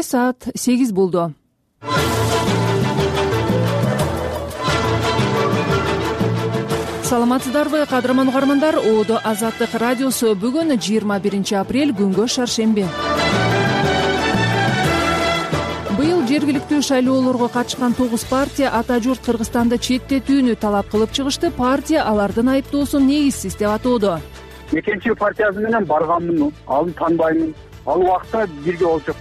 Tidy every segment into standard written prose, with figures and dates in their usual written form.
Саат 8 болду. Саламатсыздарбы, кадырман угармандар. Одо Азаттык радиосу бүгүн 21 апрель күнгө шаршемби. Быйыл жергиликтүү шайлоолорго катышкан 9 партия ата журт Кыргызстанды четтетүүнү талап кылып чыгышты. Партия алардын айыптоосун негизсиз деп атоодо. Экинчи партиясы менен барганмын, аны таанбаймын. Ал убакта бирге болчок.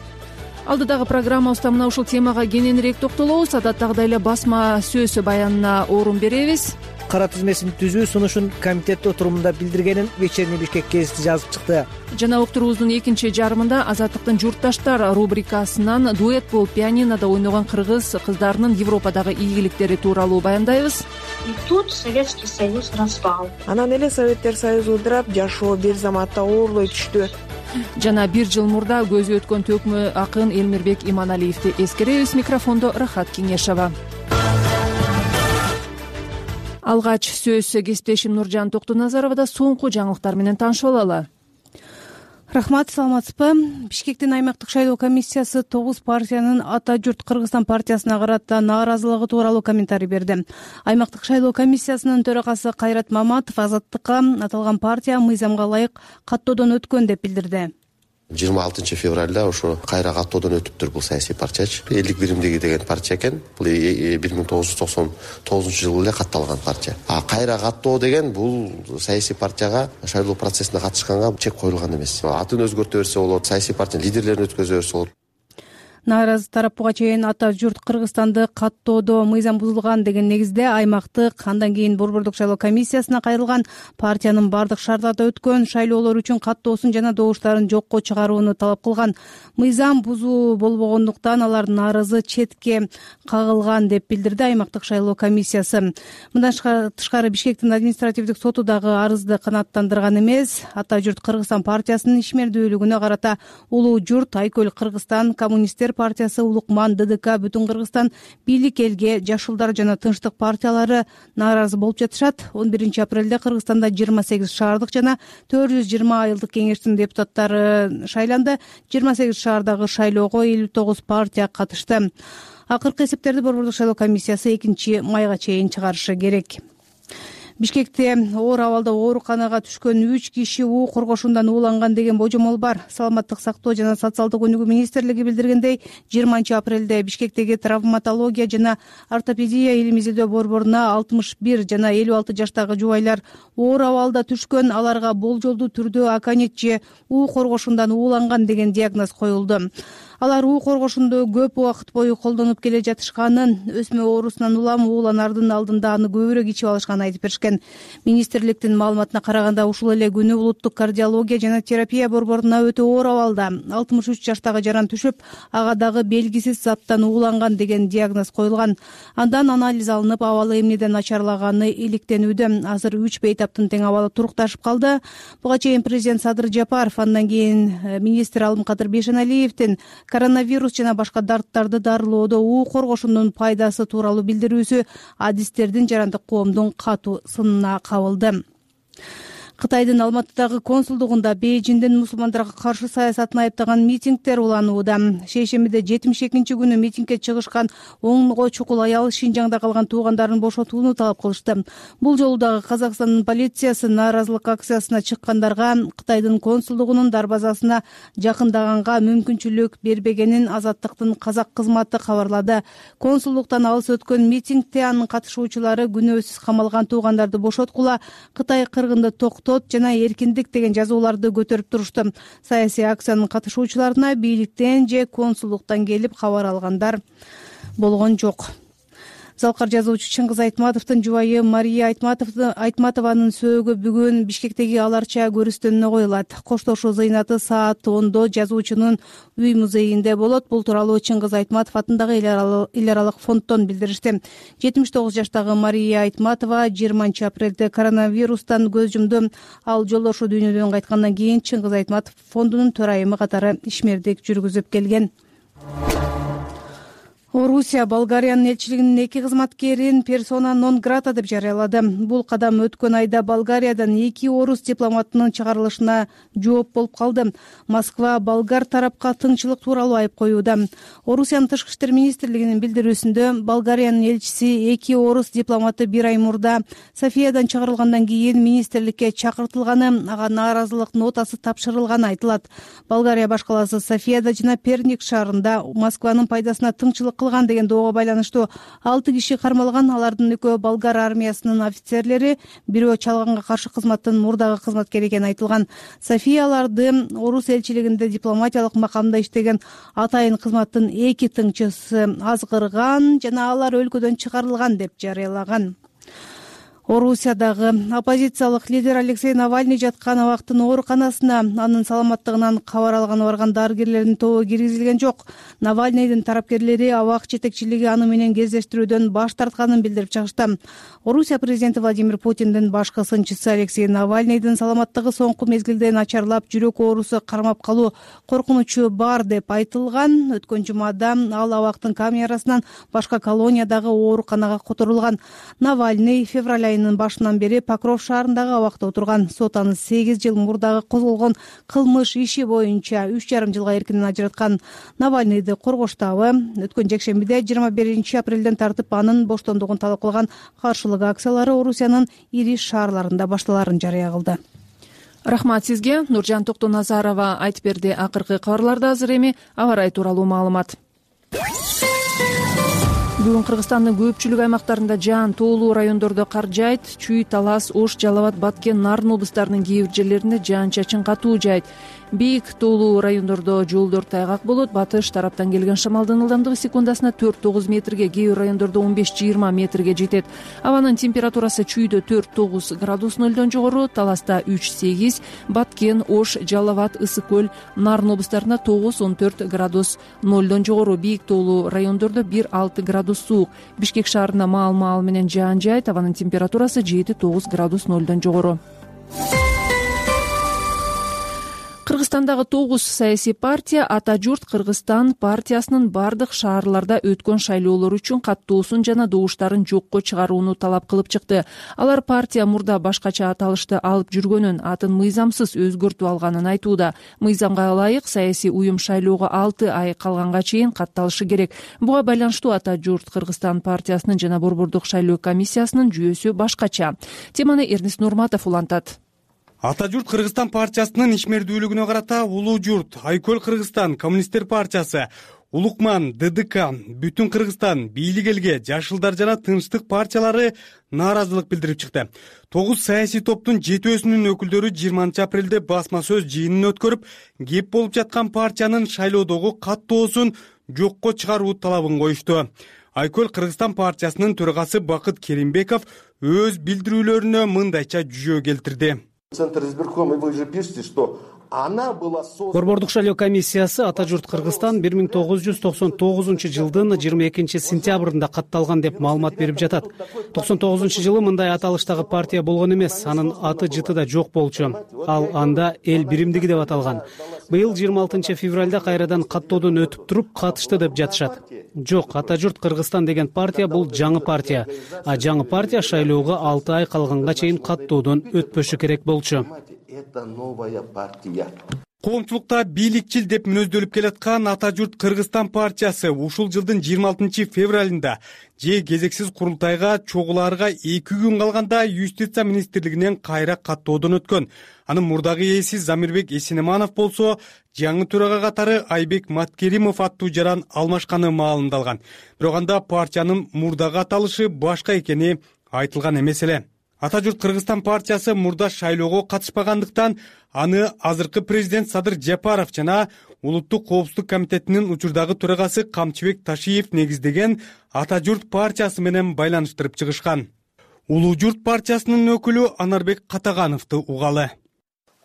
Алдыдагы программабызда мына ушул темага кененирээк токтолобуз. Адаттагыдай эле басма сөз баянына орун беребиз. Кара тизмесин түзүү сунушун комитет отурумунда билдиргенин Вечерний Бишкек гезити жазып чыкты. Жана уктуруубуздун экинчи жарымында Азаттыктын журтташтар рубрикасынан дуэт болуп пианинода ойногон кыргыз кыздарынын Европадагы ийгиликтери тууралуу баяндайбыз. И тут Советский Союз распал. Анан эле Советтер Союзу ыдырап, жашоо бир заматта оорлой түштү. Жана 1 жыл мурда көзү өткөн төкмө акын Элмирбек Иманалиевди эскеребиз. Микрофондо Рахат Кеңешова. Алгач сөз кесиптешим Нуржан Токтоназарова. Соңку жаңылыктар менен таанышып алалы. Рахмат, саламатсызбы? Бишкектин аймактык шайлоо комиссиясы 9 партиянын ата журт Кыргызстан партиясына карата нааразылыгы тууралуу комментарий берди. Аймактык шайлоо комиссиясынын төрагасы Кайрат Маматов Азаттыкка аталган партия мыйзамга ылайык каттоодон өткөн деп билдирди. 26 февралда ошо кайра каттоодон өтүптүр бул саясий партиячы. Элдик биримдиги деген партия экен. Бул 1999 жылы эле катталган партия. Кайра каттоо деген бул саясий партияга шайлоо процессине катышканга чек коюлган эмес. Атын өзгөртө берсе болот, саясий партиянын лидерлерин өткөзө берсе болот. Нааразы тарап буга чейин ата журт Кыргызстанды каттоодо мыйзам бузулган деген негизде аймактык, андан кийин Борбордук шайлоо комиссиясына кайрылган партиянын бардык шарттарда өткөн шайлоолор үчүн каттоосун жана добуштарын жокко чыгарууну талап кылган. Мыйзам бузуу болбогондуктан алар нааразы четке кагылган деп билдирди аймактык шайлоо комиссиясы. Мындан тышкары Бишкектин административдик соту дагы арызды канааттандырган эмес. Ата журт Кыргызстан партиясынын ишмердүүлүгүнө карата Улуу журт, Айкөл Кыргызстан, Коммунисттер партиясы, Улукман, ДДК, Бүтүн Кыргызстан, Бийлик элге, Жашылдар жана Тынчтык партиялары нааразы болуп жатышат. 11 апрелде Кыргызстанда 28 шаардык жана 420 айылдык кеңештин депутаттары шайланды. 28 шаардагы шайлоого 59 партия катышты. Акыркы эсептерди Борбордук шайлоо комиссиясы 2 майга чейин чыгарышы керек. Бишкекте оор абалда ооруканага түшкөн 3 киши уу коргошундан ууланган деген божомол бар. Саламаттык сактоо жана социалдык өнүгүү министрлиги билдиргендей, 20 апрелде Бишкектеги травматология жана ортопедия илим изилдөө борборуна 61 жана 56 жаштагы жубайлар оор абалда түшкөн. Аларга болжолдуу түрдө аконит же уу коргошундан ууланган деген диагноз коюлду. Алар уу коргошунду көп убакыт бою колдонуп келе жатышканын, өсмө оорусунан улам ууланардын алдында аны көбүрөөк ичип алышканын айтып беришкен. Министрликтин маалыматына караганда, ушул эле күнү улуттук кардиология жана терапия борборуна өтө оор абалда 63 жаштагы жаран түшүп, ага дагы белгисиз заттан ууланган деген диагноз коюлган. Андан анализ алынып, абалы эмнеден начарлаганы иликтенүүдө. Азыр 3 бейтаптын тең абалы турукташып калды. Буга чейин президент Садыр Жапаров, андан кийин министр Алымкадыр Бейшеналиевдин коронавирус жана башка дарттарды дарылоодо уу коргошундун пайдасы тууралуу билдирүүсү адистердин жарандык коомдун катуу сынына кабылды. Кытайдын Алматыдагы консулдугунда Бейжиңдин мусулмандарга каршы саясатын айыптаган митингдер уланууда. Шейшембиде 72-күнү митингге чыгышкан онго чукул аял Шинжаңда калган туугандарын бошотууну талап кылышты. Бул жолу дагы Казакстандын полициясы нааразылык акциясына чыккандарга Кытайдын консулдугунун дарбазасына жакындаганга мүмкүнчүлүк бербегенин Азаттыктын казак кызматы кабарлады. Консулдуктан алыс өткөн митингде анын катышуучулары күнөөсүз камалган туугандарды бошоткула, Кытай кыргынды жана эркиндик деген жазууларды көтөрүп турушту. Саясий акциянын катышуучуларына бийликтен же консулдуктан келип кабар алгандар болгон жок. Залкар жазуучу Чыңгыз Айтматовдун жубайы Мария Айтматованын сөөгү бүгүн Бишкектеги Аларча көрүстөнүнө коюлат. Коштошуу зыйнаты саат 10:00 жазуучунун үй музейинде болот. Бул тууралуу Чыңгыз Айтматов атындагы эл аралык фонддон билдиришти. 79 жаштагы Мария Айтматова 20 апрелде коронавирустан көз жумду. Ал жолдошу дүйнөдөн кайткандан кийин Чыңгыз Айтматов фондунун төрайымы катары ишмердик жүргүзүп келген. Орусия Болгариянын элчилигинин 2 кызматкерин персона нон грата деп жарыялады. Бул кадам өткөн айда Болгариядан 2 орус дипломатынын чыгарылышына жооп болуп калды. Москва болгар тарапка тыңчылык тууралуу айып коюуда. Орусиянын тышкы иштер министрлигинин билдирүүсүндө Болгариянын элчиси 2 орус дипломаты 1 ай мурда Софиядан чыгарылгандан кийин министрликке чакыртылганы, ага нааразылык нотасы тапшырылганы айтылат. Болгария баш калаасы Софияда жана Перник шаарында Москванын пайдасына тыңчылык кылган деген доого байланыштуу 6 киши кармалган. Алардын экөө болгар армиясынын офицерлери, бирөө чалганга каршы кызматтын мурдагы кызматкери экени айтылган. София аларды орус элчилигинде дипломатиялык макамда иштеген атайын кызматтын 2 тыңчысы азгырган жана алар өлкөдөн чыгарылган деп жарыялаган. Орусиядагы оппозициялык лидер Алексей Навальный жаткан абактын ооруканасына анын саламаттыгынан кабар алганы барган дарыгерлердин тобу киргизилген жок. Навальныйдын тарапкерлери абак жетекчилиги аны менен кездештирүүдөн баш тартканын билдирип чыгышты. Орусия президенти Владимир Путиндин башкы сынчысы Алексей Навальныйдын саламаттыгы соңку мезгилде начарлап, жүрөк оорусу кармап калуу коркунучу бар деп айтылган. Өткөн жумада ал абактын камерасынан башка колониядагы ооруканага которулган. Навальный февраль айынын башынан бери Покров шаарындагы абакта отурган. Сот аны 8 жыл мурдагы козголгон кылмыш иши боюнча 3,5 жылга эркинен ажыраткан. Навальныйды коргоштабы өткөн жекшембиде 21 апрелден тартып анын боштондугун талап кылган каршылык акциялары Орусиянын ири шаарларында башталарын жарыя кылды. Рахмат сизге. Нуржан Токтоназарова айтып берди. Акыркы кабарларда азыр эми аба ырайы тууралуу маалымат. Бүгүн Кыргызстандын көпчүлүк аймактарында жаан, тоолуу райондордо кар жаайт. Чүй, Талас, Ош, Жалал Абад, Баткен, Нарын облустарынын кээ бир жерлеринде жаан-чачын катуу жаайт. Бийик, тоолуу райондордо жолдор тайгак болот. Батыш тараптан келген шамалдын ылдамдыгы секундасына 4-9 метрге, кээ бир райондордо 15-20 метрге жетет. Абанын температурасы чүйдө 4-9 градус нөлдөн жогору, Таласта 3-8, Баткен, Ош, Жалал Абад, Ысык көл, Нарын облустарында 9-14 градус нөлдөн жогору. Бийик, тоолуу райондордо 1-6 градус суук. Бишкек шаарында маал менен жаан жаайт. Абанын температурасы 7-9 градус нөлдөн жогору. Кыргызстандагы 9 саясий партия Ата журт Кыргызстан партиясынын бардык шаарларда өткөн шайлоолор үчүн каттоосун жана добуштарын жокко чыгарууну талап кылып чыкты. Алар партия мурда башкача аталышты алып жүргөнүн, атын мыйзамсыз өзгөртүп алганын айтууда. Мыйзамга ылайык саясий уюм шайлоого 6 ай калганга чейин катталышы керек. Буга байланыштуу Ата журт Кыргызстан партиясынын жана Борбордук шайлоо комиссиясынын жүйөсү башкача. Теманы Эрнис Нурматов улантат. Ата журт Кыргызстан партиясынын ишмердүүлүгүнө карата Улуу журт, Айкөл Кыргызстан, Коммунисттер партиясы, Улукман, ДДК, Бүтүн Кыргызстан, Бийлик элге, Жашылдар жана Тынчтык партиялары нааразылык билдирип чыкты. 9 саясий топтун жетөөсүнүн өкүлдөрү 20 апрелде басма сөз жыйынын өткөрүп, кеп болуп жаткан партиянын шайлоодогу каттоосун жокко чыгаруу талабын коюшту. Айкөл Кыргызстан партиясынын төрагасы Бакыт Керимбеков өз билдирүүлөрүнө мындайча жүйө келтирди. Центр избиркома, вы же пишете, что она была создана... Борбордук шайлоо комиссиясы Ата журт Кыргызстан 1999 жылдын 22 сентябрында катталган деп маалымат берип жатат. 99 жылы мындай аталыштагы партия болгон эмес, анын аты жыты да жок болчу. Ал анда эл биримдиги деп аталган. Быйыл 26 февралда кайрадан каттоодон өтүп туруп катышты деп жатышат. Жок, Ата журт Кыргызстан деген партия бул жаңы партия. А жаңы партия шайлоого 6 ай калганга чейин каттоодон өтпөшү керек болчу. Это новая партия. Коомчулукта бийликчил деп мүнөздөлүп келаткан Ата журт Кыргызстан партиясы ушул жылдын 26 февралында же кезексиз курултайга чогулаарга 2 күн калганда Юстиция министрлигинен кайра каттоодон өткөн. Анын мурдагы ээси Замирбек Эсенеманов болсо жаңы төрага катары Айбек Маткеримов аттуу жаран алмашканы маалымдалган. Бирок анда партиянын мурдагы аталышы башка экени айтылган эмес эле. Ата журт Кыргызстан партиясы мурда шайлоого катышпагандыктан аны азыркы президент Садыр Жапаров жана Улуттук коопсуздук комитетинин учурдагы төрагасы Камчыбек Ташиев негиздеген Ата журт партиясы менен байланыштырып чыгышкан. Улуу журт партиясынын өкүлү Анарбек Катагановду угалы.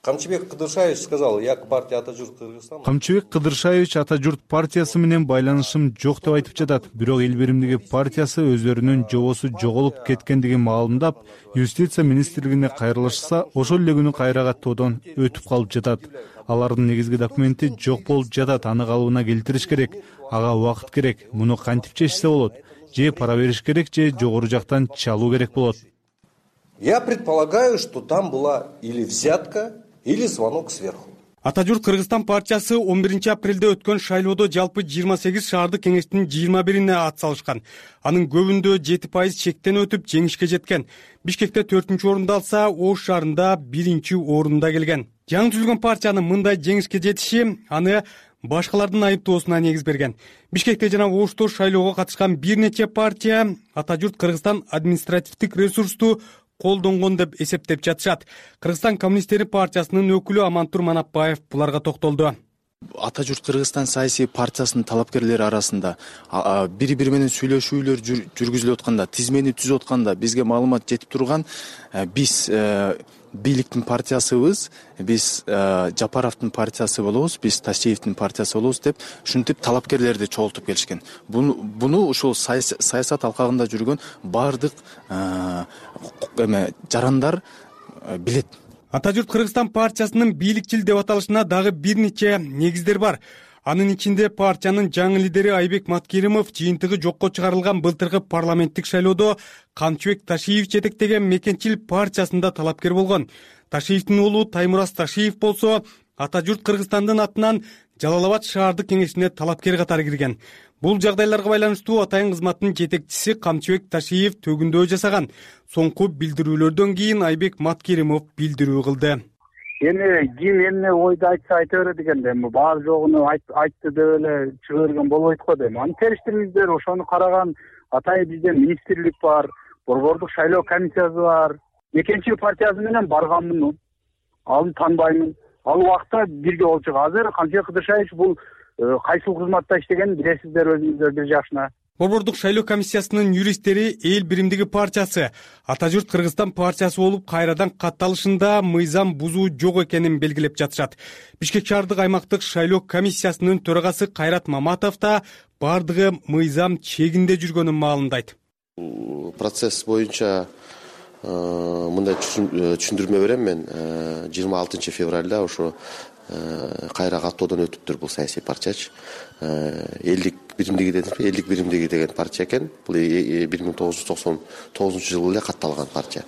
Камчыбек Кыдыршаевич сказал, я к партии Ата журт Кыргызстан. Камчыбек Кыдыршаевич Ата журт партиясы менен байланышым жок деп айтып жатат. Бирок Эл биримдиги партиясы өздөрүнүн жобосу жоголуп кеткендигин маалымдап, юстиция министрлигине кайрылышса, ошол эле күнү кайра каттоодон өтүп калып жатат. Алардын негизги документи жок болуп жатат, аны калыбына келтириш керек. Ага убакыт керек. Муну кантип чечсе болот? Же пара бериш керек, же жогору жактан чалуу керек болот. Я предполагаю, что там была или взятка, или звонок сверху. Ата журт Кыргызстан партиясы 11 апрелде өткөн шайлоодо жалпы 28 шаардык кеңештин 21-ине ат салышкан. Анын көбүндө 7% чектен өтүп жеңишке жеткен. Бишкекте 4-орунду алса, Ош шаарында 1-орунда келген. Жаңы түзүлгөн партиянын мындай жеңишке жетиши аны башкалардын айыптоосуна негиз берген. Бишкекте жана Ошто шайлоого катышкан бир нече партия Ата журт Кыргызстан административдик ресурсту колдонгон деп эсептеп жатышат. Кыргызстан коммунисттери партиясынын өкүлү Амантур Манапбаев буларга токтолду. Ата журт Кыргызстан саясий партиясынын талапкерлери арасында бири-бири менен сүйлөшүүлөр жүргүзүлүп атканда, тизмени түзүп атканда бизге маалымат жетип турган, биз бийликтин партиясыбыз, биз Жапаровдун партиясы болобуз, биз Ташиевдин партиясы болобуз деп ушинтип талапкерлерди чогултуп келишкен. Буну ушул саясат алкагында жүргөн баардык жарандар билет. Ата журт Кыргызстан партиясынын бийликчил деп аталышына дагы бир нече негиздер бар. Анын ичинде партиянын жаңы лидери Айбек Маткеримов жыйынтыгы жокко чыгарылган былтыркы парламенттик шайлоодо Камчыбек Ташиев жетектеген Мекенчил партиясында талапкер болгон. Ташиевдин уулу Таймураз Ташиев болсо Ата журт Кыргызстандын атынан Жалал Абад шаардык кеңешине талапкер катары кирген. Бул жагдайларга байланыштуу атайын кызматтын жетекчиси Камчыбек Ташиев төгүндөө жасаган. Соңку билдирүүлөрдөн кийин Айбек Маткеримов билдирүү кылды. Эми ким эмне ойду айтса айта берет экен да, бар жогуну айтты деп эле чыга берген болбойт го дейм. Аны териштириңиздер, ошону караган атайын бизде министрлик бар, борбордук шайлоо комиссиясы бар. Экинчи партиясы менен барганмын, аны таанбаймын. Ал убакта бирге болчук. Азыр Камчыбек Кыдыршаевич бул кайсыл кызматта иштегенин билесиздер өзүңүздөр бир жакшына. Борбордук шайлоо комиссиясынын юристтери Эл биримдиги партиясы Ата журт Кыргызстан партиясы болуп кайрадан катталышында мыйзам бузуу жок экенин белгилеп жатышат. Бишкек шаардык аймактык шайлоо комиссиясынын төрагасы Кайрат Маматов да бардыгы мыйзам чегинде жүргөнүн маалымдайт. Процесс боюнча мындай түшүндүрмө берем мен. 26 февралда ошо кайра каттоодон өтүптүр бул саясий партиячы. Элдик биримдиги деген партия экен. Бул 1999 жылы эле катталган партия.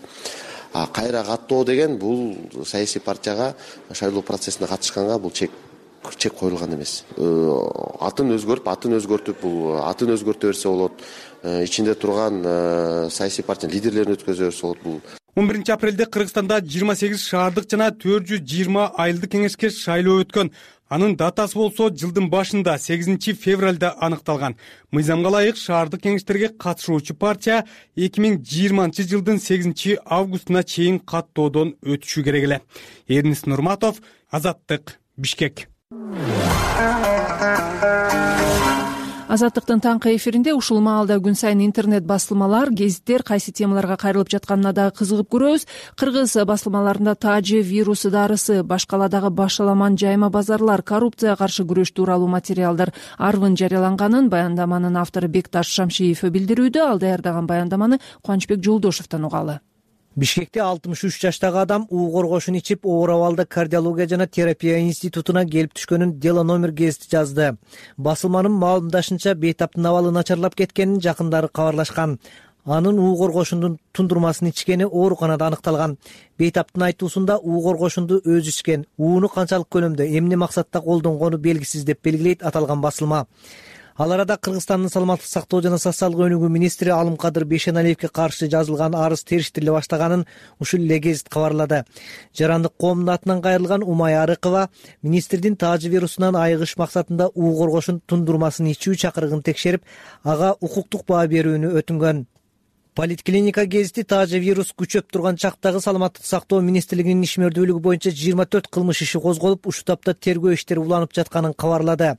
Кайра каттоо деген бул саясий партияга шайлоо процессине катышканга бул чек коюлган эмес. Атын өзгөртүп, бул атын өзгөртө берсе болот. Ичинде турган саясий партиянын лидерлерин өткөзө берсе болот. Бул 11 апрелде Кыргызстанда 28 шаардык жана 420 айылдык кеңешке шайлоо өткөн. Анын датасы болсо жылдын башында 8 февралда аныкталган. Мыйзамга ылайык шаардык кеңештерге катышуучу партия 2020 жылдын 8 августуна чейин каттоодон өтүшү керек эле. Эрнис Нурматов, Азаттык, Бишкек. Азаттыктын таңкы эфиринде ушул маалда күн сайын интернет басылмалар, гезиттер кайсы темаларга кайрылып жатканына дагы кызыгып көрөбүз. Кыргыз басылмаларында тажы вирусу дарысы, башкаладагы башаламан жайма базарлар, коррупцияга каршы күрөш тууралуу материалдар арвын жарыяланганын баяндаманын автору Бекташ Шамшиев билдирүүдө. Ал даярдаган баяндаманы Кубанычбек Жолдошовдон угалы. Бишкекте 63 жаштагы адам уу коргошун ичип, оор абалда кардиология жана терапия институтуна келип түшкөнүн дело номер гезити жазды. Басылманын маалымдашынча бейтаптын абалы начарлап кеткенин жакындары кабарлашкан. Анын уу коргошундун тундурмасын ичкени ооруканада аныкталган. Бейтаптын айтуусунда уу коргошунду өзү ичкен, ууну канчалык көлөмдө, эмне максатта колдонгону белгисиз деп белгилейт аталган басылма. Ал арада Кыргызстандын саламаттык сактоо жана социалдык өнүгүү министри Алымкадыр Бейшеналиевге каршы жазылган арыз териштириле баштаганын ушул эле гезит кабарлады. Жарандык коомдун атынан кайрылган Умай Арыкова министрдин тажы вирусунан айыгыш максатында уу коргошун тундурмасын ичүү чакырыгын текшерип, ага укуктук баа берүүнү өтүнгөн. Политклиника гезити таажа вирус күчөп турган чактагы Саламаттык сактоо министрлигинин ишмердүүлүгү боюнча 24 кылмыш иши козголуп, ушул тапта тергөө иштери уланып жатканын кабарлады.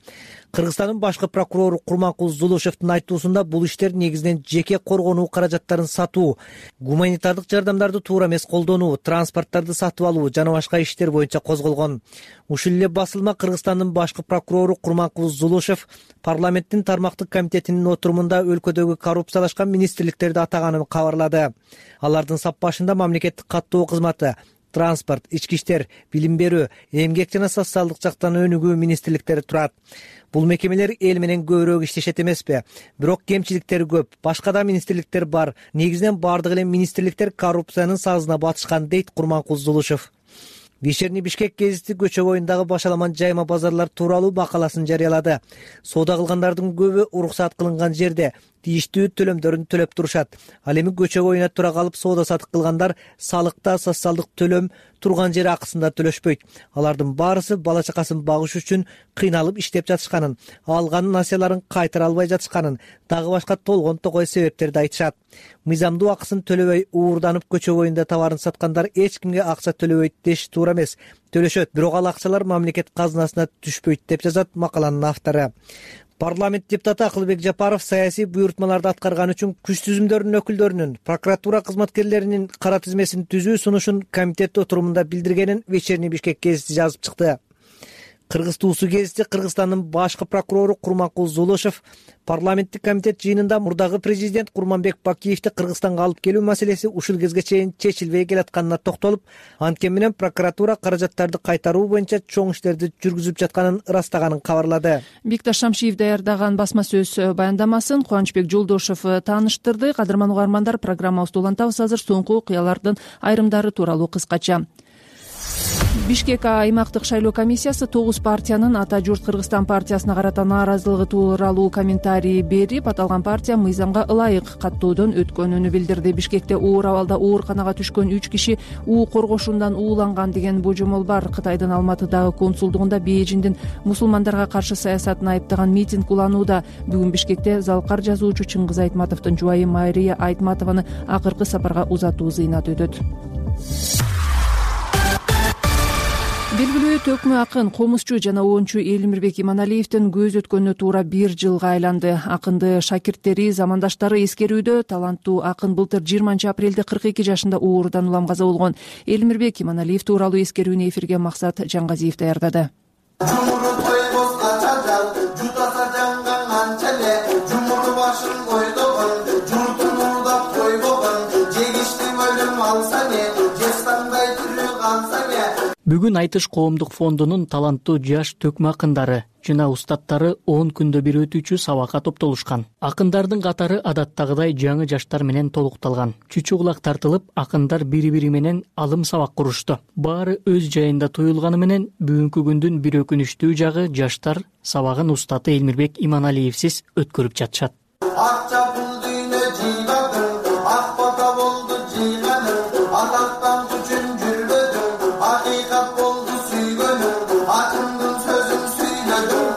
Кыргызстандын башкы прокурору Курманкул Зулушевдун айтуусунда бул иштер негизинен жеке коргонуу каражаттарын сатуу, гуманитардык жардамдарды туура эмес колдонуу, транспорттарды сатып алуу жана башка иштер боюнча козголгон. Ушул эле басылма Кыргызстандын башкы прокурору Курманкул Зулушев парламенттин тармактык комитетинин отурумунда өлкөдөгү коррупциялашкан министрликтерди атаганын кабарлады. Алардын сап башында мамлекеттик каттоо кызматы, транспорт, ички иштер, билим берүү, эмгек жана социалдык жактан өнүгүү министрликтери турат. Бул мекемелер эл менен көбүрөөк иштешет эмеспи? Бирок кемчиликтери көп. Башка да министрликтер бар. Негизинен бардык эле министрликтер коррупциянын сазына батышкан, дейт Курманкул Зулушев. Вечерний Бишкек гезити көчө боюндагы башаламан жайма базарлар тууралуу макаласын жарыялады. Соода кылгандардын көбү уруксат кылынган жерде тийиштүү төлөмдөрүн төлөп турушат. Ал эми көчө боюна тура калып соода сатык кылгандар салыкта социалдык төлөм турган жер акысында төлөшпөйт. Алардын баарысы бала чакасын багыш үчүн кыйналып иштеп жатышканын, алган насыяларын кайтара албай жатышканын, дагы башка толгон токой себептерди айтышат. Мыйзамдуу акысын төлөбөй уурданып көчө боюнда товарын саткандар эч кимге акча төлөбөйт деш туура эмес. Төлөшөт, бирок ал акчалар мамлекет казынасына түшпөйт деп жазат макаланын автору. Парламент депутаты Акылбек Жапаров саясий буйртмаларды аткарган үчүн күч түзүмдөрүнүн өкүлдөрүнүн, прокуратура кызматкерлеринин кара тизмесин түзүү сунушун комитет отурумунда билдиргенин Вечерний Бишкек гезити жазып чыкты. Кыргыз туусу гезити Кыргызстандын башкы прокурору Курманкул Зулушев парламенттик комитет жыйынында мурдагы президент Курманбек Бакиевди Кыргызстанга алып келүү маселеси ушул кезге чейин чечилбей келатканына токтолуп, анткени менен прокуратура каражаттарды кайтаруу боюнча чоң иштерди жүргүзүп жатканын ырастаганын кабарлады. Бикташ Шамшиев даярдаган басма сөз баяндамасын Кубанычбек Жолдошев тааныштырды. Кадырман угармандар, программабызды улантабыз азыр. Соңку окуялардын айрымдары тууралуу кыскача. Бишкек аймактык шайлоо комиссиясы 9 партиянын Ата журт Кыргызстан партиясына карата нааразылыгы тууралуу комментарий берип, аталган партия мыйзамга ылайык каттоодон өткөнүн билдирди. Бишкекте оор абалда ооруканага түшкөн 3 киши уу коргошундан ууланган деген божомол бар. Кытайдын Алматыдагы консулдугунда Бейжиңдин мусулмандарга каршы саясатын айыптаган митинг уланууда. Бүгүн Бишкекте залкар жазуучу Чыңгыз Айтматовдун жубайы Мария Айтматованы акыркы сапарга узатуу зыйнат өтөт. Белгилүү төкмө акын, комузчу жана оончу Элимирбек Иманалиевдин көз өткөнүнө туура 1 жылга айланды. Акынды шакирттери, замандаштары эскерүүдө. Таланттуу акын былтыр 20 апрелде 42 жашында оорудан улам каза болгон. Элимирбек Иманалиев тууралуу эскерүүнү эфирге Максат Жангазиев даярдады. Бүгүн Айтыш коомдук фондунун таланттуу жаш төкмө акындары жана устаттары 10 күндө бир өтүүчү сабакка топтолушкан. Акындардын катары адаттагыдай жаңы жаштар менен толукталган. Чүчү кулак тартылып, акындар бири-бири менен алым сабак курушту. Баары өз жайында туюлганы менен бүгүнкү күндүн бир өкүнүчтүү жагы жаштар сабагын устаты Элмирбек Иманалиевсиз өткөрүп жатышат.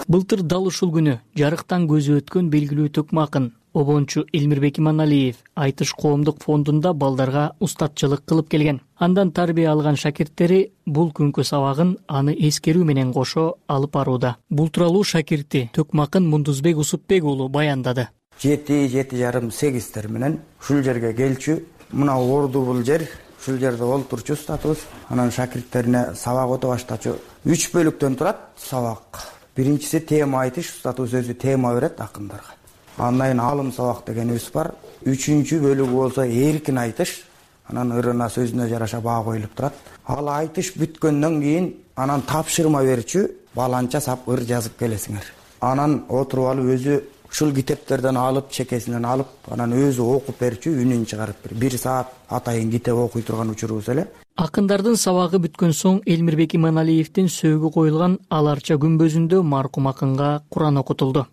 Былтыр дал ушул күнү жарыктан көзү өткөн белгилүү төкмө акын обончу Элмирбек Иманалиев Айтыш коомдук фондунда балдарга устатчылык кылып келген. Андан тарбия алган шакирттери бул күнкү сабагын аны эскерүү менен кошо алып барууда. Бул тууралуу шакирти төкмө акын Мундузбек Усупбек уулу баяндады. 7-7,5-8 менен ушул жерге келчү, мына орду бул жер, ушул жерде олтурчу устатыбыз, анан шакирттерине сабак өтө баштачу. 3 бөлүктөн турат сабак. Биринчиси тема айтыш, устатуу сөзү тема берет акындарга. Андан кийин алым сабак дегенибиз бар. 3-чү бөлүгү болсо эркин айтыш, анан ырына сөзүнө жараша баа коюлуп турат. Ал айтыш бүткөндөн кийин анан тапшырма берчү, баланча сап ыр жазып келесиңер. Анан отуруп алып өзү ушул китептерден алып, чекесинен алып, анан өзү окуп берчү, үнүн чыгарып бер. 1 саат атайын китеп окуй турган учурубуз эле. Акындардын сабагы бүткөн соң Элмирбек Иманалиевдин сөөгү коюлган Аларча күмбөзүндө маркум акынга Куран окутулду.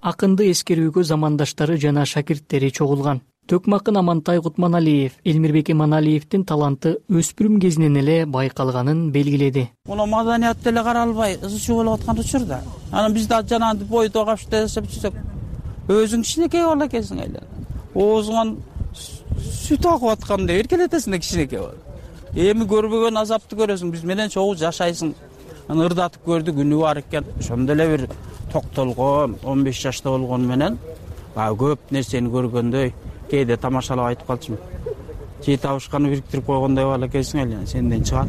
Акынды эскерүүгө замандаштары жана шакирттери чогулган. Төкмакын Амантай Кутманалиев Элмирбек Иманалиевдин таланты өспүрүм кезинен эле байкалганын белгиледи. Муну маданият деле каралбай ызы чуу болуп аткан учурда. Анан биз да жанагынтип бойдо капчып жүрсөк, өзүң кичинекей боло экенсиң эле. Оозуңан сүт агып аткандай эркелетесиң да кичинекей болуп. Эми көрбөгөн азапты көрөсүң, биз менен чогуу жашайсың. Аны ырдатып көрдүк, үнү бар экен. Ошондо эле бир токтолгон, 15 жашта болгону менен көп нерсени көргөндөй, кээде тамашалап айтып калчумун. Жей табышканы бириктирип койгондой боло экенсиң эле, сенден чыгат.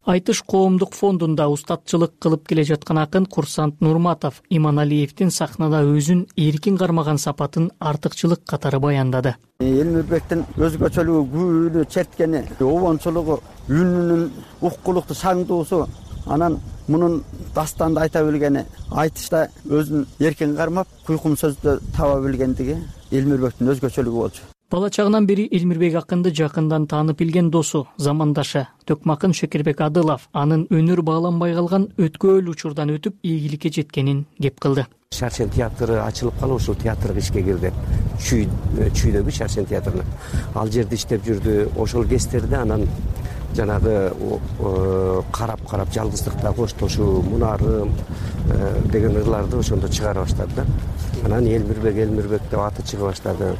Айтыш коомдук фондунда устатчылык кылып келе жаткан акын Курсант Нурматов Иманалиевдин сахнада өзүн эркин кармаган сапатын артыкчылык катары баяндады. Элмирбектин өзгөчөлүгү, күүнү черткени, обончулугу, үнүнүн уккулуктуу саңдуусу, анан мунун дастанды айта билгени, айтышта өзүн эркин кармап, куйкум сөздү таба билгендиги Элмирбектин өзгөчөлүгү болчу. Бала чагынан бери Элмирбек акынды жакындан таанып билген досу, замандашы Төкмакын Шекербек Адылов анын өнөр бааланбай калган өткөөл учурдан өтүп ийгиликке жеткенин кеп кылды. Шаршен театры ачылып калып, ошол театрга ишке кирди. Чүйдөгү Шаршен театрына. Ал жерде иштеп жүрдү. Ошол кездерде анан жанагы карап жалгыздыкта коштошуу, мунарым деген ырларды ошондо чыгара баштады да. Анан Элмирбек деп аты чыга баштады.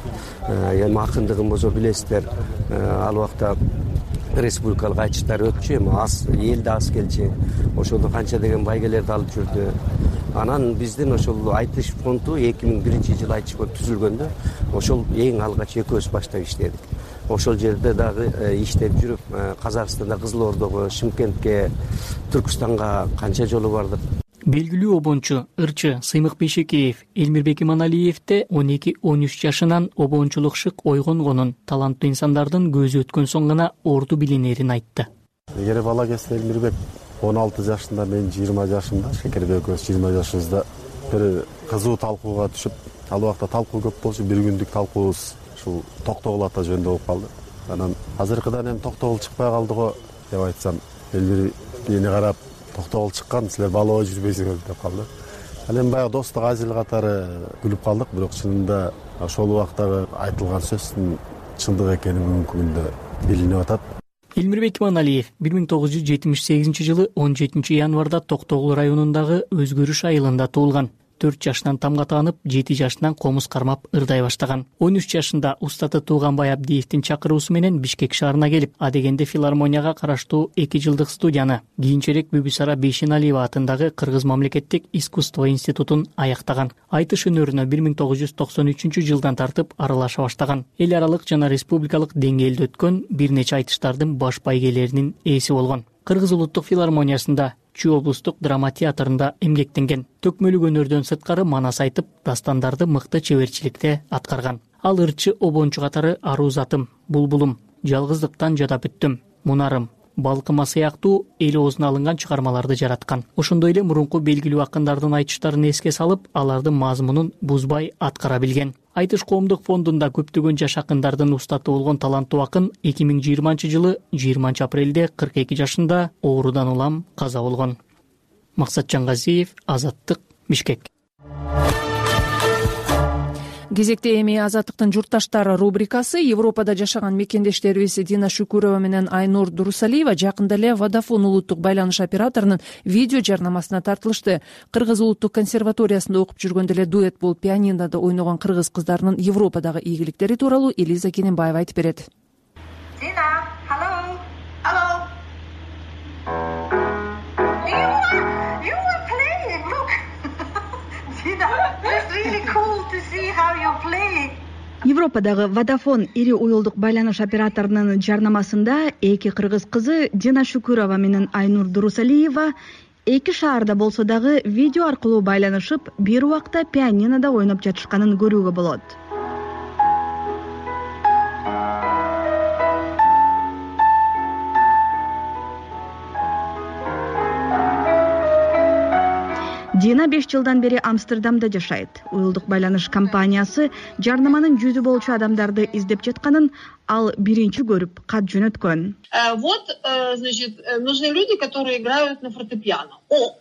Эми акындыгын болсо билесиздер, ал убакта республикалык айтыштар өтчү, эми элде аз келчү. Ошондо канча деген байгелерди алып жүрдү. Анан биздин ошол айтыш фонду 2001-жылы айтыш фонду түзүлгөндө, ошол эң алгач экөөбүз баштап иштедик. Ошол жерде дагы иштеп жүрүп, Казакстанда, Кызыл Ордого, Шымкентке, Түркстанга канча жолу бардык. Белгилүү обончу, ырчы Сыймык Бейшекеев Элмирбек Иманалиевде 12-13 жашынан обончулук шык ойгонгонун, таланттуу инсандардын көзү өткөн соң гана орду билинерин айтты. Эгер бала кезде Элмирбек 16 жашында, мен 20 жашымда, Шекербек экөөбүз 20 жашыбызда бир кызуу талкууга түшүп, ал убакта талкуу көп болчу, бир күндүк талкуубуз ушул Токтогул ата жөнүндө болуп калды. Анан азыркыдан эми Токтогул чыкпай калды го деп айтсам, Элмир мени карап, Токтогул чыккан, силер балоо жүрбөйсүңөр деп калды. Ал эми баягы достук азил катары күлүп калдык, бирок чынында ошол убактагы айтылган сөздүн чындык экени бүгүнкү күндө билинип атат. Элмирбек Иманалиев 1978-жылы 17 январда Токтогул районундагы Өзгөрүш айылында туулган. 4 жашынан тамга таанып, 7 жашынан комуз кармап ырдай баштаган. 13 жашында устаты Тууганбай Абдиевдин чакыруусу менен Бишкек шаарына келип, адегенде филармонияга караштуу 2 жылдык студияны, кийинчерээк Бүбүсара Бейшеналиева атындагы Кыргыз мамлекеттик искусство институтун аяктаган. Айтыш өнөрүнө 1993-жылдан тартып аралаша баштаган. Эл аралык жана республикалык деңгээлде өткөн бир нече айтыштардын баш байгелеринин ээси болгон. Кыргыз улуттук филармониясында, Чүй облустук драма театрында эмгектенген. Төкмөлүк өнөрдөн сырткары манас айтып, дастандарды мыкты чеберчиликте аткарган. Ал ырчы обончу катары Аруу затым, Булбулум, Жалгыздыктан жадап бүттүм, Мунарым, Балкыма сыяктуу эл оозуна алынган чыгармаларды жараткан. Ошондой эле мурунку белгилүү акындардын айтыштарын эске салып, алардын мазмунун бузбай аткара билген. Айтыш коомдук фондунда көптөгөн жаш акындардын устаты болгон таланттуу акын 2020-жылы 20 апрелде 42 жашында оорудан улам каза болгон. Максатжан Газиев, Азаттык, Бишкек. Кезекте эми Азаттыктын журтташтары рубрикасы. Европада жашаган мекендештерибиз Дина Шүкүрова менен Айнур Дурусалиева жакында эле Водafone улуттук байланыш операторунун видео жарнамасына тартылышты. Кыргыз улуттук консерваториясында окуп жүргөндө эле дуэт болуп пианинода ойногон кыргыз кыздарынын Европадагы ийгиликтери тууралуу Элиза Кененбаева айтып берет. Dina, hello. Hello. You were playing. Look. Dina, it's really cool to see how you're playing. Европадагы Водafone ири уюлдук байланыш операторунун жарнамасында эки кыргыз кызы Дина Шүкүрова менен Айнур Дурусалиева эки шаарда болсо дагы видео аркылуу байланышып, бир убакта пианинода ойноп жатышканын көрүүгө болот. Дина 5 жылдан бери Амстердамда жашайт. Уюлдук байланыш компаниясы жарнаманын жүзү болчу адамдарды издеп жатканын ал биринчи көрүп кат жөнөткөн. Вот, значит, нужны люди, которые играют на фортепиано. О,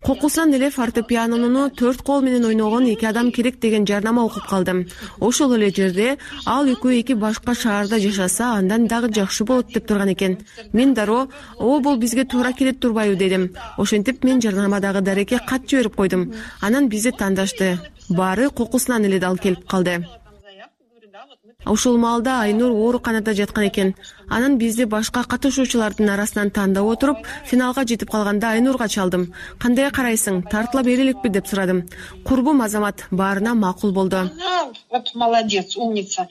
Кокусунан эле фортепианону 4 кол менен ойногон 2 адам керек деген жарнама окуп калдым. Ошол эле жерде ал экөө эки башка шаарда жашаса, андан дагы жакшы болот деп турган экен. Мен дароо бул бизге туура келет турбайбы дедим. Ошентип мен жарнамадагы дарекке кат жиберип койдум. Анан бизди тандашты. Баары кокусунан эле дал келип калды. Ошол маалда Айнур ооруканада жаткан экен. Анан бизди башка катышуучулардын арасынан тандап отуруп, финалга жетип калганда Айнурга чалдым. Кандай карайсың, тартыла береликпи деп сурадым. Курбум Азамат баарына макул болду. Вот молодец, умница.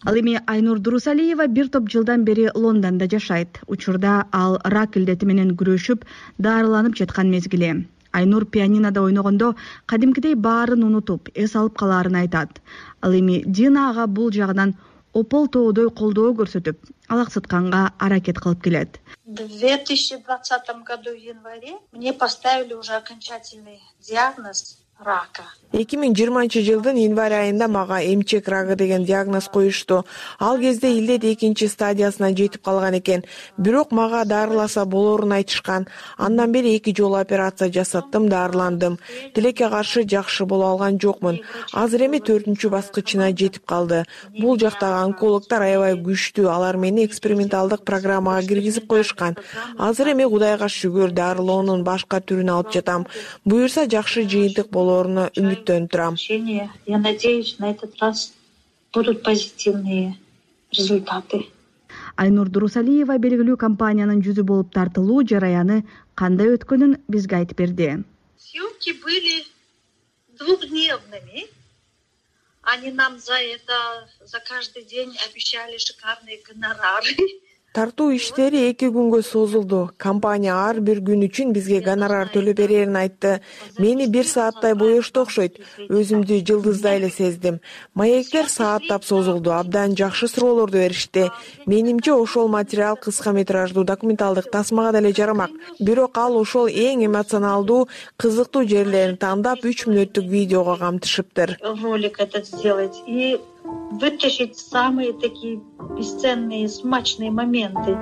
Ал эми Айнур Дурусалиева бир топ жылдан бери Лондондо жашайт. Учурда ал рак илдети менен күрөшүп, дарыланып жаткан мезгили. Айнур пианинода ойногондо кадимкидей баарын унутуп, эс алып калаарын айтат. Ал эми Дина ага бул жагынан опол тоодой колдоо көрсөтүп, алаксытканга аракет кылып келет. В 2020 году в январе мне поставили уже окончательный диагноз рака. 2020 январь айында мага эмчек рагы деген диагноз коюшту. Ал кезде илдет 2 стадиясына жетип калган экен. Бирок мага дарыласа болорун айтышкан. Андан бери 2 жолу операция жасаттым, дарыландым. Тилекке каршы жакшы боло алган жокмун. Азыр эми 4 баскычына жетип калды. Бул жактагы онкологдор аябай күчтүү. Алар мени эксперименталдык программага киргизип коюшкан. Азыр эми Кудайга шүгүр дарылоонун башка түрүн алып жатам. Буюрса жакшы жыйынтык болоруна үмүттөнүп турам. Я надеюсь, на этот раз будут позитивные результаты. Айнур Дурусалиева белгилүү компаниянын жүзү болуп тартылуу жараяны кандай өткөнүн бизге айтып берди. Съемки были двухдневными. Они нам за каждый день обещали шикарные гонорары. Тартуу иштери 2 күнгө созулду. Компания ар бир күн үчүн бизге гонорар төлөп берерин айтты. Мени 1 сааттай боешту окшойт. Өзүмдү жылдыздай эле сездим. Маектер сааттап созулду. Абдан жакшы суроолорду беришти. Менимче ошол материал кыска метраждуу документалдык тасмага деле жарамак. Бирок ал ошол эң эмоционалдуу, кызыктуу жерлерин тандап 3 мүнөттүк видеого камтышыптыр. Ролик этот сделать и вытащить самые такие бесценные, смачные моменты.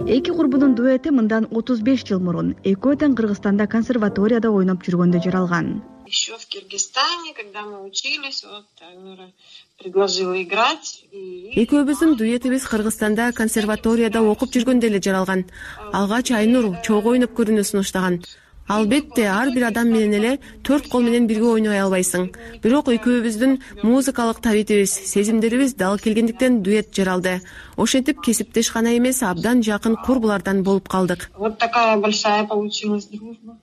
Эки курбунун дуэти мындан 35 жыл мурун экөө тең Кыргызстанда консерваторияда ойноп жүргөндө жаралган. Еще в Киргизстане, когда мы учились, вот Айнура предложила играть. Экөөбүздүн дуэтибиз Кыргызстанда консерваторияда окуп жүргөндө эле жаралган. Алгач Айнур чогуу ойноп көрүүнү сунуштаган. Албетте, ар бир адам менен эле 4 кол менен бирге ойной албайсың. Бирок экөөбүздүн музыкалык табитибиз, сезимдерибиз дал келгендиктен дуэт жаралды. Ошентип кесиптеш гана эмес, абдан жакын курбулардан болуп калдык. Вот такая большая получилась дружба.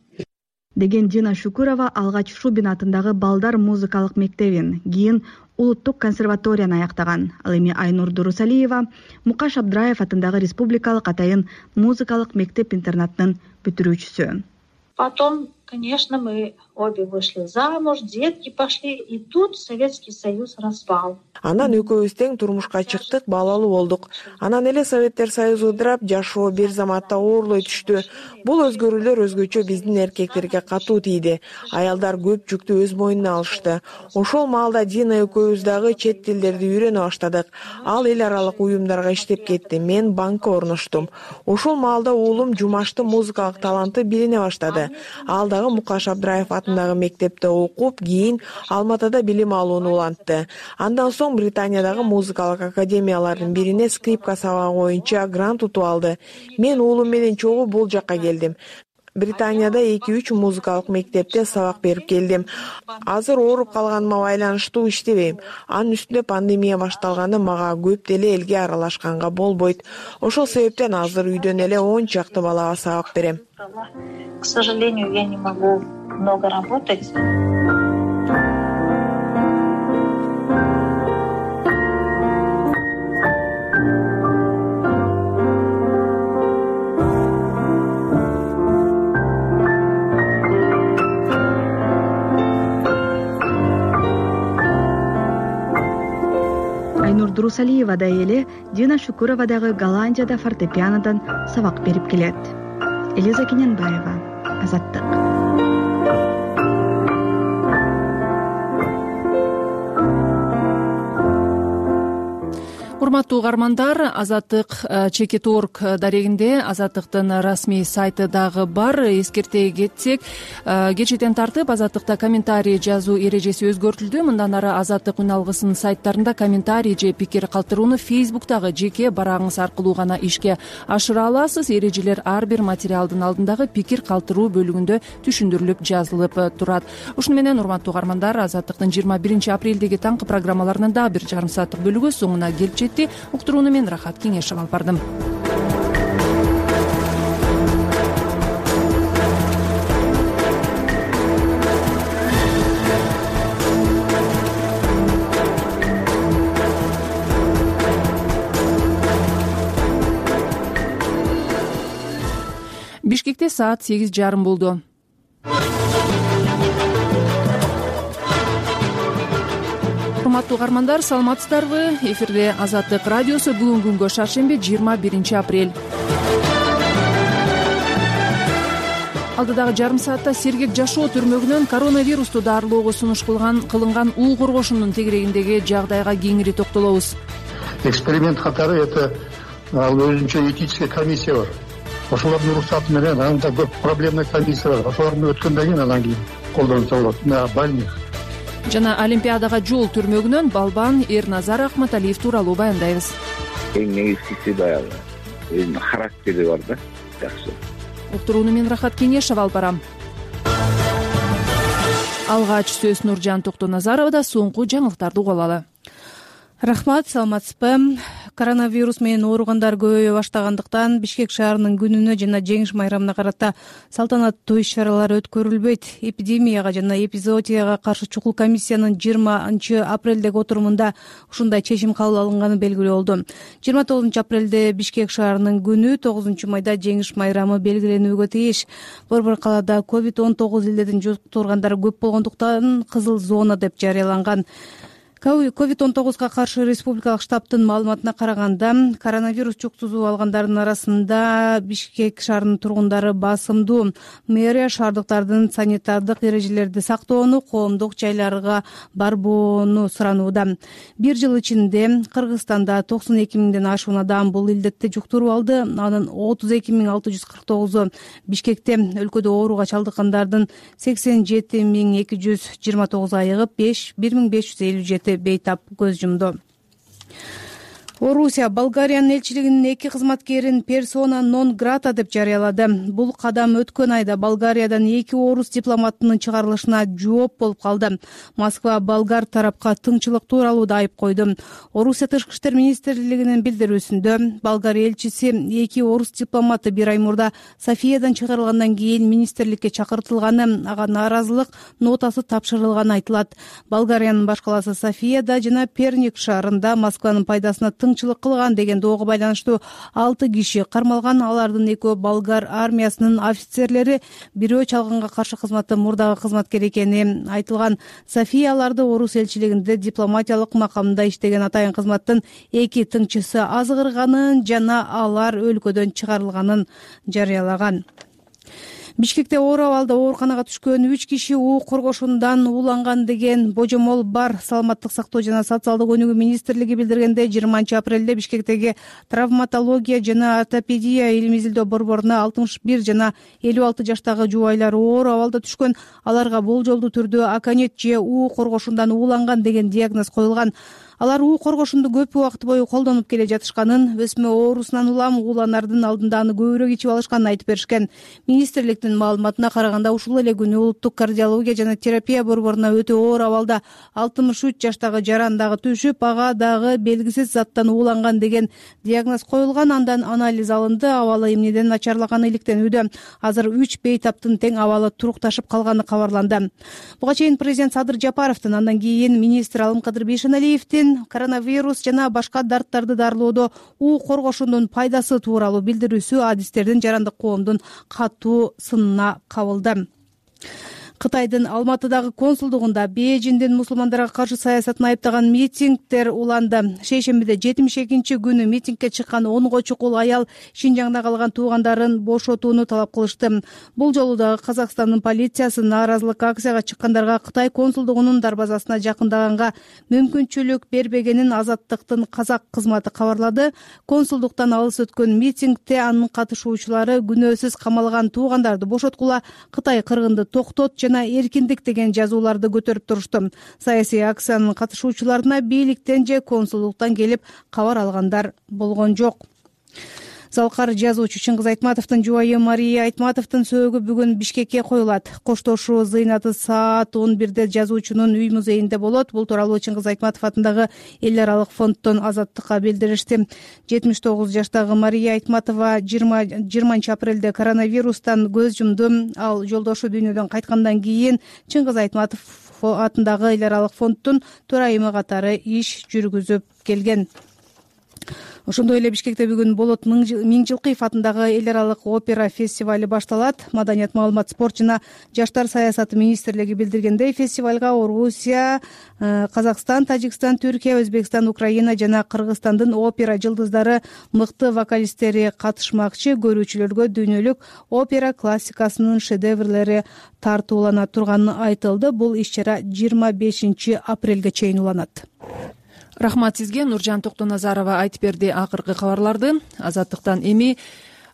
Деген Дина Шукурова алгач Шубин атындагы балдар музыкалык мектебин, кийин улуттук консерваторияны аяктаган. Ал эми Айнур Дурусалиева Мукаш Абдраев атындагы республикалык атайын музыкалык мектеп-интернаттын бүтүрүүчүсү. Потом, конечно, мы обе вышли замуж, детки пошли, и тут Советский Союз распал. Анан экөөбүз тең турмушка чыктык, балалуу болдук. Анан эле Советтер Союзу ыдырап, жашоо бир заматта оорлой түштү. Бул өзгөрүүлөр өзгөчө биздин эркектерге катуу тийди. Аялдар көп жүктү өз мойнуна алышты. Ошол маалда Дина экөөбүз дагы чет тилдерди үйрөнө баштадык. Ал эл аралык уюмдарга иштеп кетти. Мен банкка орноштум. Ошол маалда уулум Жумаштын музыкалык таланты билине баштады. Ал дагы Мукаш Абдраев атындагы мектепте окуп, кийин Алматыда билим алууну улантты. Андан соң Британиядагы музыкалык академиялардын бирине скрипка сабагы боюнча грант утуп алды. Мен уулум менен чогуу бул жакка келдим. Британияда 2-3 музыкалык мектепте сабак берип келдим. Азыр ооруп калганыма байланыштуу иштебейм. Анын үстүнө пандемия башталганда мага көп деле элге аралашканга болбойт. Ошол себептен азыр үйдөн эле 10 чакты балага сабак берем. К сожалению, я не могу много работать. Дурусалиевадай эле Дина Шукурова дагы Голландияда фортепианодон сабак берип келет. Элиза Кененбаева, Азаттык. Урматтуу угармандар, Азаттык Чекит.орг дарегинде Азаттыктын расмий сайты дагы бар. Эскерте кетсек, кечээден тартып Азаттыкта комментарий жазуу эрежеси өзгөртүлдү. Мындан ары Азаттык үн алгысынын сайттарында комментарий же пикир калтырууну Facebooktагы жеке барагыңыз аркылуу гана ишке ашыра аласыз. Эрежелер ар бир материалдын алдындагы пикир калтыруу бөлүгүндө түшүндүрүлүп жазылып турат. Ушуну менен урматтуу угармандар, Азаттыктын 21 апрелдеги таңкы программаларынын дагы бир жарым сааттык бөлүгү соңуна келип жетти. Уктурууну мен Рахат Кеңешев алып бардым. Бишкекте саат 8:30 болду. Урматтуу угармандар, саламатсыздарбы? Эфирде Азаттык радиосу. Бүгүнкү күнгө шаршемби 21 апрель. Алдыдагы жарым саатта Сергек жашоо түрмөгүнөн коронавирусту дарылоого сунуш кылынган уу коргошунун тегерегиндеги жагдайга кеңири токтолобуз. Эксперимент катары это ал өзүнчө этическая комиссия бар. Ошолордун уруксаты менен анда көп проблемный комиссия бар. Ошолорду өткөндөн кийин анан кийин колдонуса болот. На больных. Жана Олимпиадага жол түрмөгүнөн балбан Эрназар Акматалиев тууралуу баяндайбыз. Эң негизгиси баягы өзүнүн характери бар да, жакшы. Уктурууну мен Рахат Кеңешев алып барам. Алгач сөз Нуржан Токтоназаровда, соңку жаңылыктарды угуп алалы. Рахмат, саламатсызбы? Коронавирус менен ооругандар көбөйө баштагандыктан Бишкек шаарынын күнүнө жана жеңиш майрамына карата салтанаттуу иш-чаралар өткөрүлбөйт. Эпидемияга жана эпизоотияга каршы чукул комиссиянын 20 апрелдеги отурумунда ушундай чечим кабыл алынганы белгилүү болду. 29 апрелде Бишкек шаарынын күнү, 9 майда жеңиш майрамы белгиленүүгө тийиш. Борбор калаада COVID-19 илдетин жуктургандары көп болгондуктан кызыл зона деп жарыяланган. COVID-19га каршы республикалык штабтын маалыматына караганда, коронавирус жуктузуп алгандардын арасында Бишкек шаарынын тургундары басымдуу. Мэрия шаардыктардын санитардык эрежелерди сактоону, коомдук жайларга барбоону суранууда. Бир жыл ичинде Кыргызстанда 92 миңден ашуун адам бул илдетти жуктуруп алды. Анын 32.649 Бишкекте, өлкөдө ооруга чалдыккандардын 87.229 айыгып, 1557 бейтап көз жумду. Орусия Болгариянын элчилигинин 2 кызматкерин персона нон грата деп жарыялады. Бул кадам өткөн айда Болгариядан 2 орус дипломатынын чыгарылышына жооп болуп калды. Москва болгар тарапка тыңчылык тууралуу да айып койду. Орусия Тышкы иштер министрлигинин билдирүүсүндө Болгария элчиси 2 орус дипломаты бир ай мурда Софиядан чыгарылгандан кийин министрликке чакыртылганы, ага нааразылык нотасы тапшырылганы айтылат. Болгариянын баш калаасы Софияда жана Перник шаарында Москванын пайдасына тыңчылык кылган деген доого байланыштуу 6 киши кармалган. Алардын экөө болгар армиясынын офицерлери, бирөө чалганга каршы кызматта мурдагы кызматкер экени айтылган. София аларды орус элчилигинде дипломатиялык макамда иштеген атайын кызматтын 2 тыңчысы азгырганын жана алар өлкөдөн чыгарылганын жарыялаган. Бишкекте оор абалда ооруканага түшкөн 3 киши уу коргошундан ууланган деген божомол бар. Саламаттык сактоо жана социалдык өнүгүү министрлиги билдиргенде, 20 апрелде Бишкектеги травматология жана ортопедия илим изилдөө борборуна 61 жана 56 жаштагы жубайлар оор абалда түшкөн. Аларга болжолдуу түрдө аконит же уу коргошундан ууланган деген диагноз коюлган. Алар уу коргошунду көп убакыт бою колдонуп келе жатышканын, өсмө оорусунан улам ууланардын алдында аны көбүрөөк ичип алышканын айтып беришкен. Министрликтин маалыматына караганда, ушул эле күнү улуттук кардиология жана терапия борборуна өтө оор абалда 63 жаштагы жаран дагы түшүп, ага дагы белгисиз заттан ууланган деген диагноз коюлган. Андан анализ алынды, абалы эмнеден начарлаганы иликтенүүдө. Азыр 3 бейтаптын тең абалы турукташып калганы кабарланды. Буга чейин президент Садыр Жапаровдун, андан кийин министр Алымкадыр Бейшеналиевдин коронавирус жана башка дарттарды дарылоодо уу коргошундун пайдасы тууралуу билдирүүсү адистердин жарандык коомдун катуу сынына кабылды. Кытайдын Алматыдагы консулдугунда Бээжиндин мусулмандарга каршы саясатын айыптаган митингдер уланды. Шейшембиде 72-күнү митингге чыккан 10 чукул аял Шинжаңда калган туугандарын бошотууну талап кылышты. Бул жолу дагы Казакстандын полициясы нааразылык акцияга чыккандарга Кытай консулдугунун дарбазасына жакындаганга мүмкүнчүлүк бербегенин Азаттыктын казак кызматы кабарлады. Консулдуктан алыс өткөн митингде анын катышуучулары күнөөсүз камалган туугандарды бошоткула, Кытай кыргынды токтот жана эркиндик деген жазууларды көтөрүп турушту. Саясий акциянын катышуучуларына бийликтен же консулдуктан келип кабар алгандар болгон жок. Залкар жазуучу Чыңгыз Айтматовдун жубайы Мария Айтматовдун сөөгү бүгүн Бишкекке коюлат. Коштошуу зыйнаты саат 11-де жазуучунун үй музейинде болот. Бул тууралуу Чыңгыз Айтматов атындагы эл аралык фонддон Азаттыкка билдиришти. 79 жаштагы Мария Айтматова 20 апрелде коронавирустан көз жумду. Ал жолдошу дүйнөдөн кайткандан кийин Чыңгыз Айтматов атындагы эл аралык фонддун төрайымы катары иш жүргүзүп келген. Ошондой эле Бишкекте бүгүн Болот Миңжилкыев атындагы эл аралык опера фестивали башталат. Маданият, маалымат, спорт жана жаштар саясаты министрлиги билдиргендей, фестивалга Орусия, Казакстан, Тажикстан, Түркия, Өзбекстан, Украина жана Кыргызстандын опера жылдыздары, мыкты вокалисттери катышмакчы. Көрүүчүлөргө дүйнөлүк опера классикасынын шедеврлери тартуулана турганы айтылды. Бул иш-чара 25 апрелге чейин уланат. Рахмат сизге. Нуржан Токтоназарова айтып берди акыркы кабарларды. Азаттыктан эми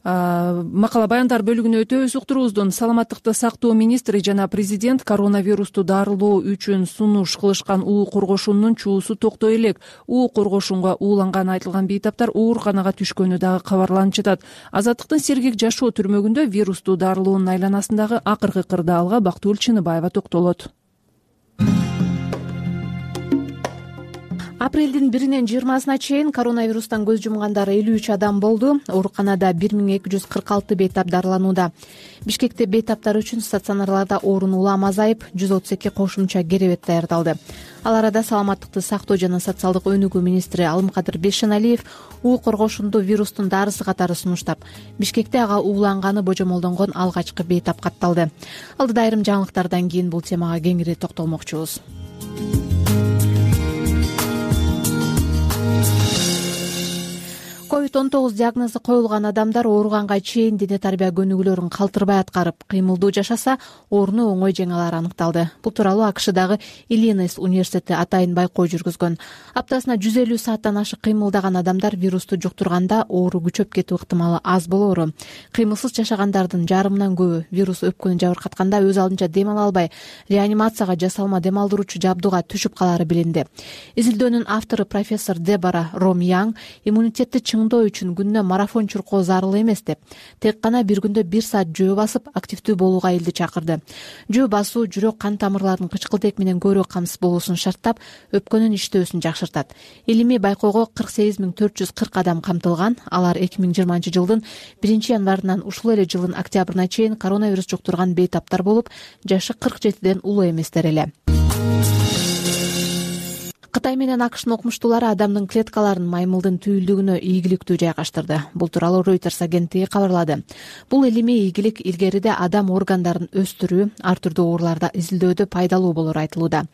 макала баяндар бөлүгүнө өтөбүз. Уктуруубуздун саламаттыкты сактоо министри жана президент коронавирусту дарылоо үчүн сунуш кылышкан уу коргошунунун чуусу токтой элек. уу коргошунга ууланганы айтылган бейтаптар ооруканага түшкөнү дагы кабарланып жатат. Азаттыктын Сергек жашоо түрмөгүндө вирусту дарылоонун айланасындагы акыркы кырдаалга Бактыгүл Чыныбаева токтолот. Апрелдин 1-нен 20-сына чейин коронавирустан көз жумгандар 53 адам болду. Ооруканада 1246 бейтап дарыланууда. Бишкекте бейтаптар үчүн стационарларда орун улам азайып, 132 кошумча керебет даярдалды. Ал арада саламаттыкты сактоо жана социалдык өнүгүү министри Алымкадыр Бешеналиев уу коргошунду вирустун дарысы катары сунуштап, Бишкекте ага ууланганы божомолдонгон алгачкы бейтап катталды. Алдыда айрым жаңылыктардан кийин бул темага кеңири токтолмокчубуз. COVID-19 диагнозу коюлган адамдар ооруганга чейин дене тарбия көнүгүүлөрүн калтырбай аткарып, кыймылдуу жашаса, ооруну оңой жеңе алары аныкталды. Бул тууралуу АКШдагы Иллинойс университети атайын байкоо жүргүзгөн. Аптасына 150 сааттан ашык кыймылдаган адамдар вирусту жуктурганда оору күчөп кетүү ыктымалы аз болоору. Кыймылсыз жашагандардын жарымынан көбү вирус өпкөнү жабыркатканда өз алдынча дем ала албай, реанимацияга жасалма дем алдыруучу жабдууга түшүп калары билинди. Изилдөөнүн автору профессор Дебора Ромьян иммунитетти чыңдоо үчүн күнүнө марафон чуркоо зарыл эмес деп, тек гана бир күндө 1 саат жөө басып активдүү болууга элди чакырды. Жөө басуу жүрөк кан тамырларынын кычкылтек менен көбүрөөк камсыз болуусун шарттап, өпкөнүн иштөөсүн жакшыртат. Илимий байкоого 48 440 адам камтылган. Алар 2020 жылдын 1 январынан ушул эле жылдын октябрына чейин коронавирус жуктурган бейтаптар болуп, жашы 47ден улуу эместер эле. Кытай менен АКШнын окумуштуулары адамдын клеткаларын маймылдын түйүлдүгүнө ийгиликтүү жайгаштырды. Бул тууралуу Reuters агенттиги кабарлады. Бул илимий ийгилик илгериде адам органдарын өстүрүү, ар түрдүү ооруларда изилдөөдө пайдалуу болору айтылууда.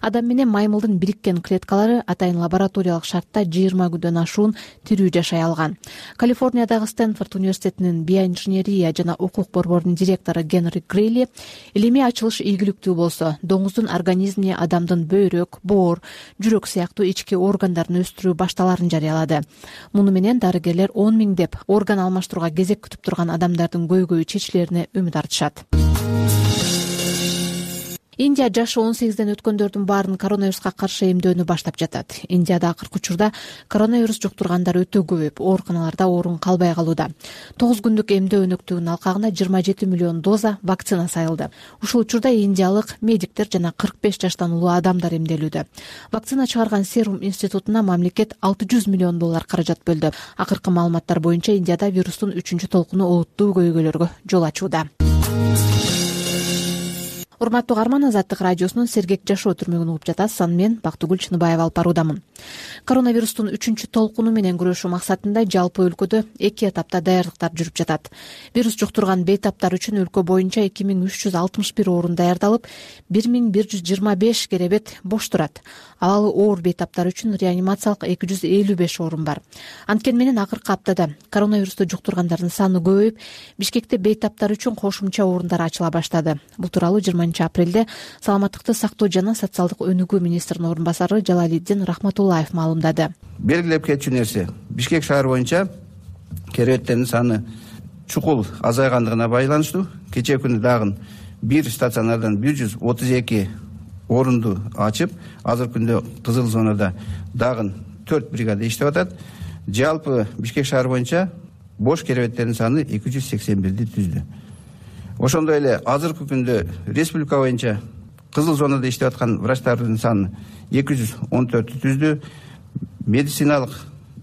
Адам менен маймылдын бириккен клеткалары атайын лабораториялык шартта 20 күндөн ашуун тирүү жашай алган. Калифорниядагы Стэнфорд университетинин биоинженерия жана укук борборунун директору Генри Грейли илимий ачылыш ийгиликтүү болсо, доңуздун организмине адамдын бөйрөк, боор, жүрөк сыяктуу ички органдарын өстүрүү башталарын жарыялады. Муну менен дарыгерлер 10 миңдеп орган алмаштырууга кезек күтүп турган адамдардын көйгөйү чечилерине үмүт артышат. Индия жашы 18ден өткөндөрдүн баарын коронавируска каршы эмдөөнү баштап жатат. Индияда акыркы учурда коронавирус жуктургандар өтө көбөйүп, ооруканаларда орун калбай калууда. 9 күндүк эмдөө өнөктүгүнүн алкагына 27 миллион доза вакцина сайылды. Ушул учурда индиялык медиктер жана 45 жаштан улуу адамдар эмделүүдө. Вакцина чыгарган Serum институтуна мамлекет $600 миллион каражат бөлдү. Акыркы маалыматтар боюнча Индияда вирустун 3-чү толкуну олуттуу көйгөйлөргө жол ачууда. урматтуу каарман, Азаттык радиосунун Сергек жашоо түрмөгүн угуп жатасыз. Аны мен Бактыгүл Чыныбаева алып баруудамын. Коронавирустун 3-чү толкуну менен күрөшүү максатында жалпы өлкөдө 2 этапта даярдыктар жүрүп жатат. Вирус жуктурган бейтаптар үчүн өлкө боюнча 2361 орун даярдалып, 1125 керебет бош турат. Абалы оор бейтаптар үчүн реанимациялык 255 орун бар. Анткени менен акыркы аптада коронавирусту жуктургандардын саны көбөйүп, Бишкекте бейтаптар үчүн кошумча орундар ачыла баштады. Бул тууралуу 20-апрелде Саламаттыкты сактоо жана социалдык өнүгүү министринин орун басары Жалалиддин Рахматуллаев маалымдады. Белгилеп кетчү нерсе, Бишкек шаар боюнча керебеттердин саны чукул азайгандыгына байланыштуу кечээ күнү дагы бир стационардан 132 орунду ачып, азыркы күндө кызыл зонада дагы 4 бригада иштеп атат. Жалпы Бишкек шаар боюнча бош керебеттердин саны 281 түздү. Ошондой эле азыркы күндө республика боюнча кызыл зонада иштеп аткан врачтардын саны 214 түздү. Медициналык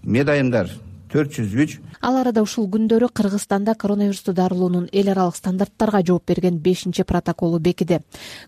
медайымдар 403. Ал арада ушул күндөрү Кыргызстанда коронавирусту дарылоонун эл аралык стандарттарга жооп берген 5-чи протоколу бекиди.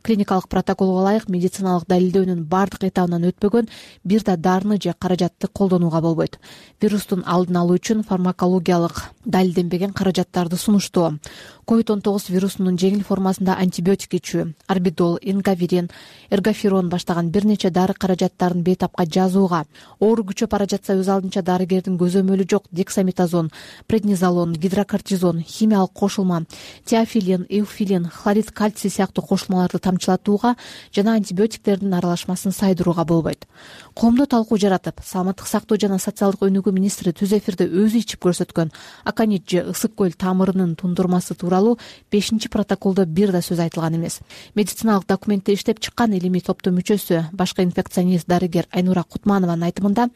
Клиникалык протоколго ылайык медициналык далилдөөнүн бардык этабынан өтпөгөн бир да дарыны же каражатты колдонууга болбойт. Вирустун алдын алуу үчүн фармакологиялык далилденбеген каражаттарды сунуштоо, COVID-19 вирусунун жеңил формасында антибиотик ичүү, орбидол, ингаверин, эргоферон баштаган бир нече дары каражаттарын бейтапка жазууга, оору күчөп бара жатса өз алдынча дарыгердин көзөмөлү жок дексаметазон, преднизолон, гидрокортизон, химиялык кошулма, теофилин, эуфилин, хлорид кальций сыяктуу кошулмаларды тамчылатууга жана антибиотиктердин аралашмасын сайдырууга болбойт. Коомдо талкуу жаратып, Саламаттык сактоо жана социалдык өнүгүү министри түз эфирде өзү ичип көрсөткөн аконит же ысык көл тамырынын тундурмасы тууралуу 5-чи протоколдо бир да сөз айтылган эмес. Медициналык документти иштеп чыккан илимий топтун мүчөсү, башкы инфекционист дарыгер Айнура Кутманованын айтымында,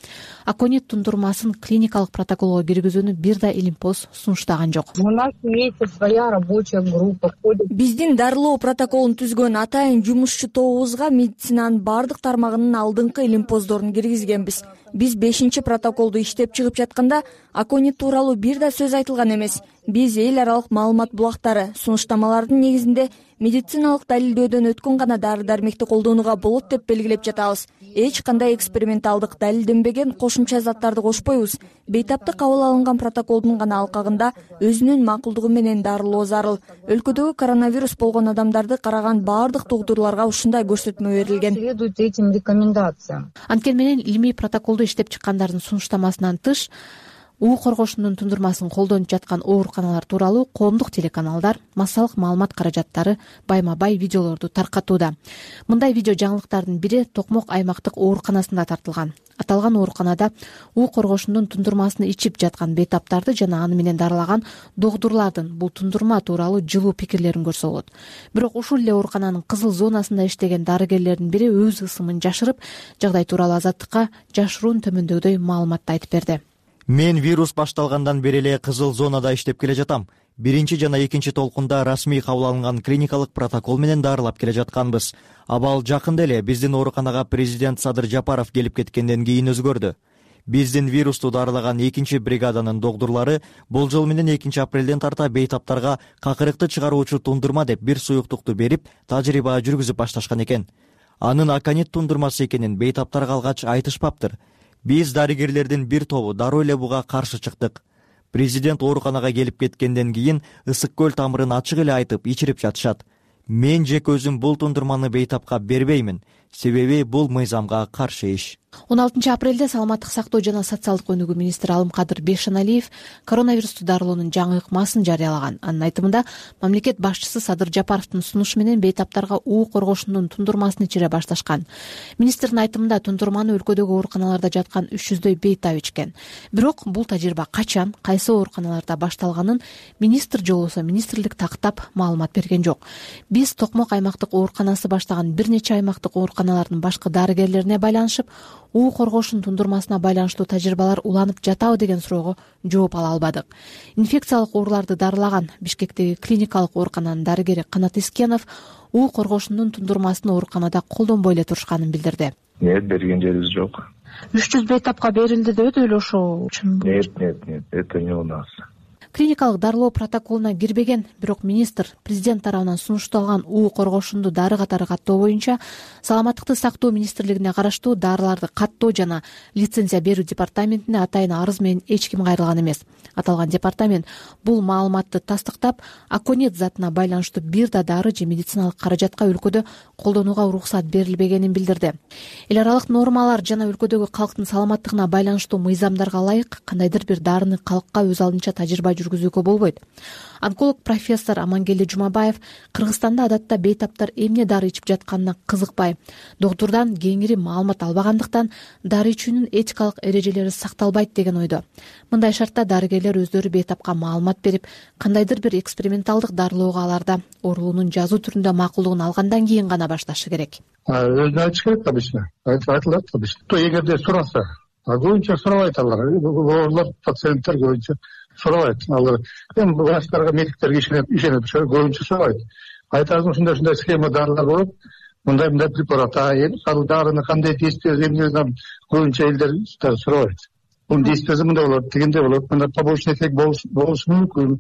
аконит тундурмасын клиникалык протоколго киргизүүнү бир да илимпоз сунуштаган жок. У нас имеется своя рабочая группа. Биздин дарылоо протоколун түзгөн атайын жумушчу тобубузга медицинанын бардык тармагынын алдыңкы илимпоздорун киргизгенбиз. Биз 5-чи протоколду иштеп чыгып жатканда аконит тууралуу бир да сөз айтылган эмес. Биз эл аралык маалымат булактары, сунуштамалардын негизинде медициналык далилдөөдөн өткөн гана дары-дармекти колдонууга болот деп белгилеп жатабыз. Эч кандай эксперименталдык далилденбеген кошумча заттарды кошпойбуз. Бейтапты кабыл алынган протоколдун гана алкагында өзүнүн макулдугу менен дарылоо зарыл. Өлкөдөгү коронавирус болгон адамдарды караган бардык доктурларга ушундай көрсөтмө берилген. Следует этим рекомендациям. Анткени менен илимий протоколду иштеп чыккандардын сунуштамасынан тыш уу коргошунун тундурмасын колдонуп жаткан ооруканалар тууралуу коомдук телеканалдар массалык маалымат каражаттары байма-бай видеолорду таркатууда. Мындай видео жаңылыктардын бири Токмок аймактык ооруканасында тартылган. Аталган ооруканада уу коргошунун тундурмасын ичип жаткан бейтаптарды жана аны менен дарылаган докторлордун бул тундурма тууралуу жылуу пикирлерин көрсө болот. Бирок ушул эле оорукананын кызыл зонасында иштеген дарыгерлердин бири өз ысымын жашырып, жагдай тууралуу Азаттыкка жашыруун төмөндөгүдөй маалыматты айтып берди. Мен вирус башталгандан бери эле кызыл зонада иштеп келе жатам. 1-чи жана 2-чи толкунда расмий кабыл алынган клиникалык протокол менен дарылап келе жатканбыз. Абал жакында эле биздин ооруканага президент Садыр Жапаров келип кеткенден кийин өзгөрдү. Биздин вирусту дарылаган 2-чи бригаданын докторлору бул жыл менен 2-апрелден тарта бейтаптарга какырыкты чыгаруучу тундурма деп бир суюктукту берип, тажрыйба жүргүзүп башташкан экен. Анын аконит тундурмасы экенин бейтаптар калгач айтышпаптыр. Биз дарыгерлердин бир тобу дароо эле буга каршы чыктык. Президент ооруканага келип кеткенден кийин ысык көл тамырын ачык эле айтып ичирип жатышат. Мен жеке өзүм бул тундурманы бейтапка бербеймин, себеби бул мыйзамга каршы иш. 16-апрелде Саламаттык сактоо жана социалдык өнүгүү министри Алымкадыр Бейшеналиев коронавирусту дарылоонун жаңы ыкмасын жарыялаган. Анын айтымында, мамлекет башчысы Садыр Жапаровдун сунушу менен бейтаптарга уу коргошунун тундурмасын ичире башташкан. Министрдин айтымында тундурманы өлкөдөгү ооруканаларда жаткан 300дөй бейтап ичкен. Бирок бул тажрыйба качан, кайсы ооруканаларда башталганын министр же болбосо министрлик тактап маалымат берген жок. Биз Токмок аймактык ооруканасы баштаган бир нече аймактык ооруканалардын башкы дарыгерлерине байланышып, уу коргошун тундурмасына байланыштуу тажрыйбалар уланып жатабы деген суроого жооп ала албадык. Инфекциялык ооруларды дарылаган Бишкектеги клиникалык оорукананын дарыгери Канат Искенов уу коргошунун тундурмасын ооруканада колдонбой эле турушканын билдирди. Нет, берген жерибиз жок. 300 бейтапка берилди деп ошо чынбы? Нет, это не у нас. клиникалык дарылоо протоколуна кирбеген, бирок министр президент тарабынан сунушталган уу коргошунду дары катары каттоо боюнча Саламаттыкты сактоо министрлигине караштуу дарыларды каттоо жана лицензия берүү департаментине атайын арыз менен эч ким кайрылган эмес. Аталган департамент бул маалыматты тастыктап, аконит затына байланыштуу бир да дары же медициналык каражатка өлкөдө колдонууга уруксат берилбегенин билдирди. Эл аралык нормалар жана өлкөдөгү калктын саламаттыгына байланыштуу мыйзамдарга ылайык кандайдыр бир дарыны калкка өз алдынча тажрыйба жүргүзүүгө болбойт. Онколог профессор Амангелди Жумабаев Кыргызстанда адатта бейтаптар эмне дары ичип жатканына кызыкпай, доктурдан кеңири маалымат албагандыктан дары ичүүнүн этикалык эрежелери сакталбайт деген ойдо. Мындай шартта дарыгерлер өздөрү бейтапка маалымат берип, кандайдыр бир эксперименталдык дарылоого аларда оорулуунун жазуу түрүндө макулдугун алгандан кийин гана башташы керек. Өзүнө айтыш керек обычно. Айтылат обычно. То эгерде сураса, көбүнчө сурабайт алар. Оорулар пациенттер көбүнчө сурабайт. Алар эми врачтарга, медиктерге ишенет, көбүнчө сурабайт. Айтасың ушундай схема дарылар болот. Мындай препарат, ал дарыны кандай действие эмне көбүнчө элдер сурабайт. Бунун действиеси мындай болот, дегенде болот, мындай побочный эффект болушу мүмкүн,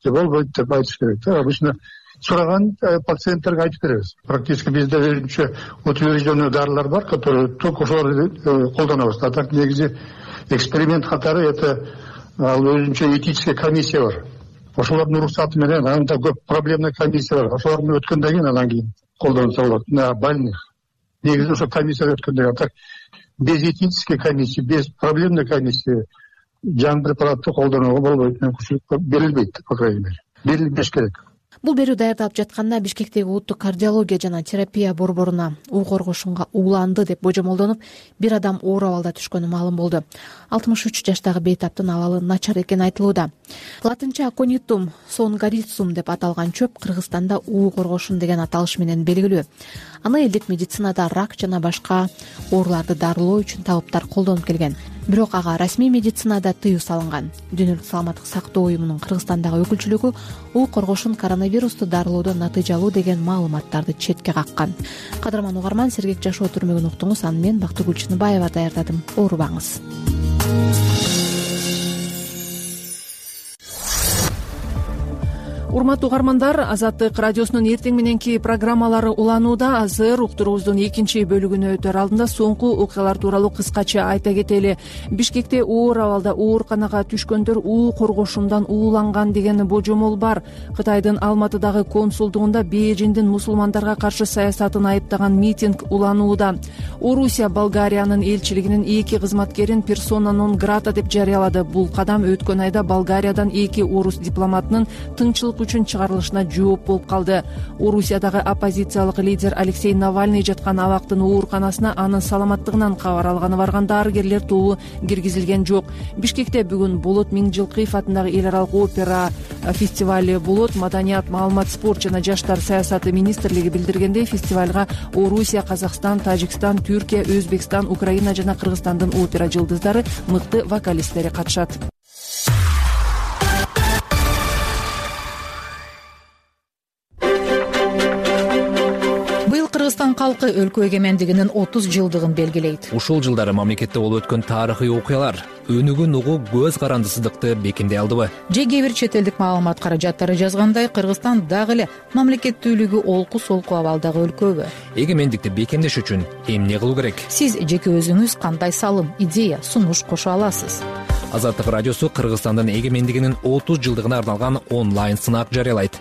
же болбойт деп айтыш керек. Обычно сураган пациенттерге айтып беребиз. Практически бизде өзүнчө утвержденный дарылар бар, которые только ошолорду колдонобуз. А так негизи эксперимент катары это өзүнчө этическая комиссия бар. Ошолордун уруксаты менен анда көп проблемный комиссия бар. Ошолордун өткөндөн кийин анан кийин колдонсо болот. На больных. Негизи ошо комиссия өткөндөн кийин. Так без этической комиссии, без проблемной комиссии жан препаратты колдонууга болбойт. Берилбейт, по крайней мере. Берилбеш керек. Бул берүү даярдалып жатканда Бишкектеги улуттук кардиология жана терапия борборуна уу коргошунга ууланды деп божомолдонуп, бир адам оор абалда түшкөнү маалым болду. 63 жаштагы бейтаптын абалы начар экени айтылууда. Латынча аконитум сонгарицум деп аталган чөп Кыргызстанда уу коргошун деген аталыш менен белгилүү. Аны элдик медицинада рак жана башка ооруларды дарылоо үчүн табыптар колдонуп келген. Бирок ага расмий медицинада тыюу салынган. Дүйнөлүк саламаттык сактоо уюмунун Кыргызстандагы өкүлчүлүгү уу коргошун коронавирусту дарылоодо натыйжалуу деген маалыматтарды четке каккан. Кадырман угарман, сергек жашоо түрмөгүн уктуңуз. Аны мен Бактыгүл Чыныбаева даярдадым. Оорубаңыз. Урматтуу угармандар, Азаттык радиосунун эртең мененки программалары уланууда. Азыр уктуруубуздун экинчи бөлүгүнө өтөр алдында соңку окуялар тууралуу кыскача айта кетели. Бишкекте оор абалда ооруканага түшкөндөр уу коргошундан ууланган деген божомол бар. Кытайдын Алматыдагы консулдугунда Бейжиңдин мусулмандарга каршы саясатын айыптаган митинг уланууда. Орусия Болгариянын элчилигинин 2 кызматкерин персона нон грата деп жарыялады. Бул кадам өткөн айда Болгариядан 2 орус дипломатынын тынччылык үчүн чыгарылышына жооп болуп калды. Орусиядагы оппозициялык лидер Алексей Навальный жаткан абактын ооруканасына анын саламаттыгынан кабар алганы барган дарыгерлер тобу киргизилген жок. Бишкекте бүгүн Болот Миңжилкыев атындагы эл аралык опера фестивали болот. Маданият, маалымат, спорт жана жаштар саясаты министрлиги билдиргендей, фестивалга Орусия, Казакстан, Тажикстан, Түркия, Өзбекстан, Украина жана Кыргызстандын опера жылдыздары, мыкты вокалисттери катышат. Кыргызстан калкы өлкө эгемендигинин 30 жылдыгын белгилейт. Ушул жылдары мамлекетте болуп өткөн тарыхый окуялар өнүгүн угуу көз карандысыздыкты бекемдей алдыбы? Же кээ бир чет элдик маалымат каражаттары жазгандай, Кыргызстан дагы эле мамлекеттүүлүгү олку-солку абалдагы өлкөбү? Эгемендикти бекемдеш үчүн эмне кылуу керек? Сиз жеке өзүңүз кандай салым, идея, сунуш кошо аласыз? Азаттык радиосу Кыргызстандын эгемендигинин 30 жылдыгына арналган онлайн сынак жарыялайт.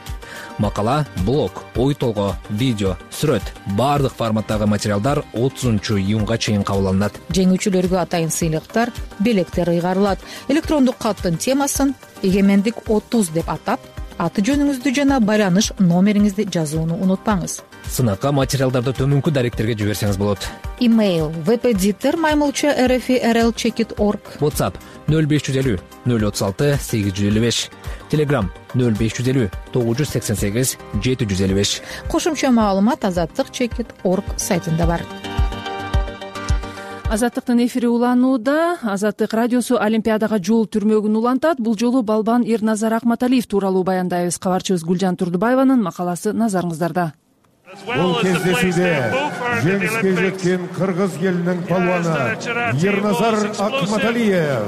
Макала, блог, ой толгоо, видео, сүрөт, баардык форматтагы материалдар 30-июнга чейин кабыл алынат. Жеңүүчүлөргө атайын сыйлыктар, белектер ыйгарылат. Электрондук каттын темасын «Эгемендик 30» деп атап, аты жөнүңүздү жана байланыш номериңизди жазууну унутпаңыз. Сынакка материалдарды төмөнкү даректерге жиберсеңиз болот. Имейл vpditer@rl-checkit.org. WhatsApp 0550 036 855. Telegram 0550 988 755. Кошумча маалымат azattik.checkit.org сайтында бар. Азаттыктын эфири уланууда. Азаттык радиосу Олимпиадага жол түрмөгүн улантат. Бул жолу балбан Эрназар Акматалиев тууралуу баяндайбыз. Кабарчыбыз Гүлжан Турдубаеванын макаласы назарыңыздарда. Бул кездесүүдө жеңишке жеткен кыргыз элинин палуаны Эрназар Акматалиев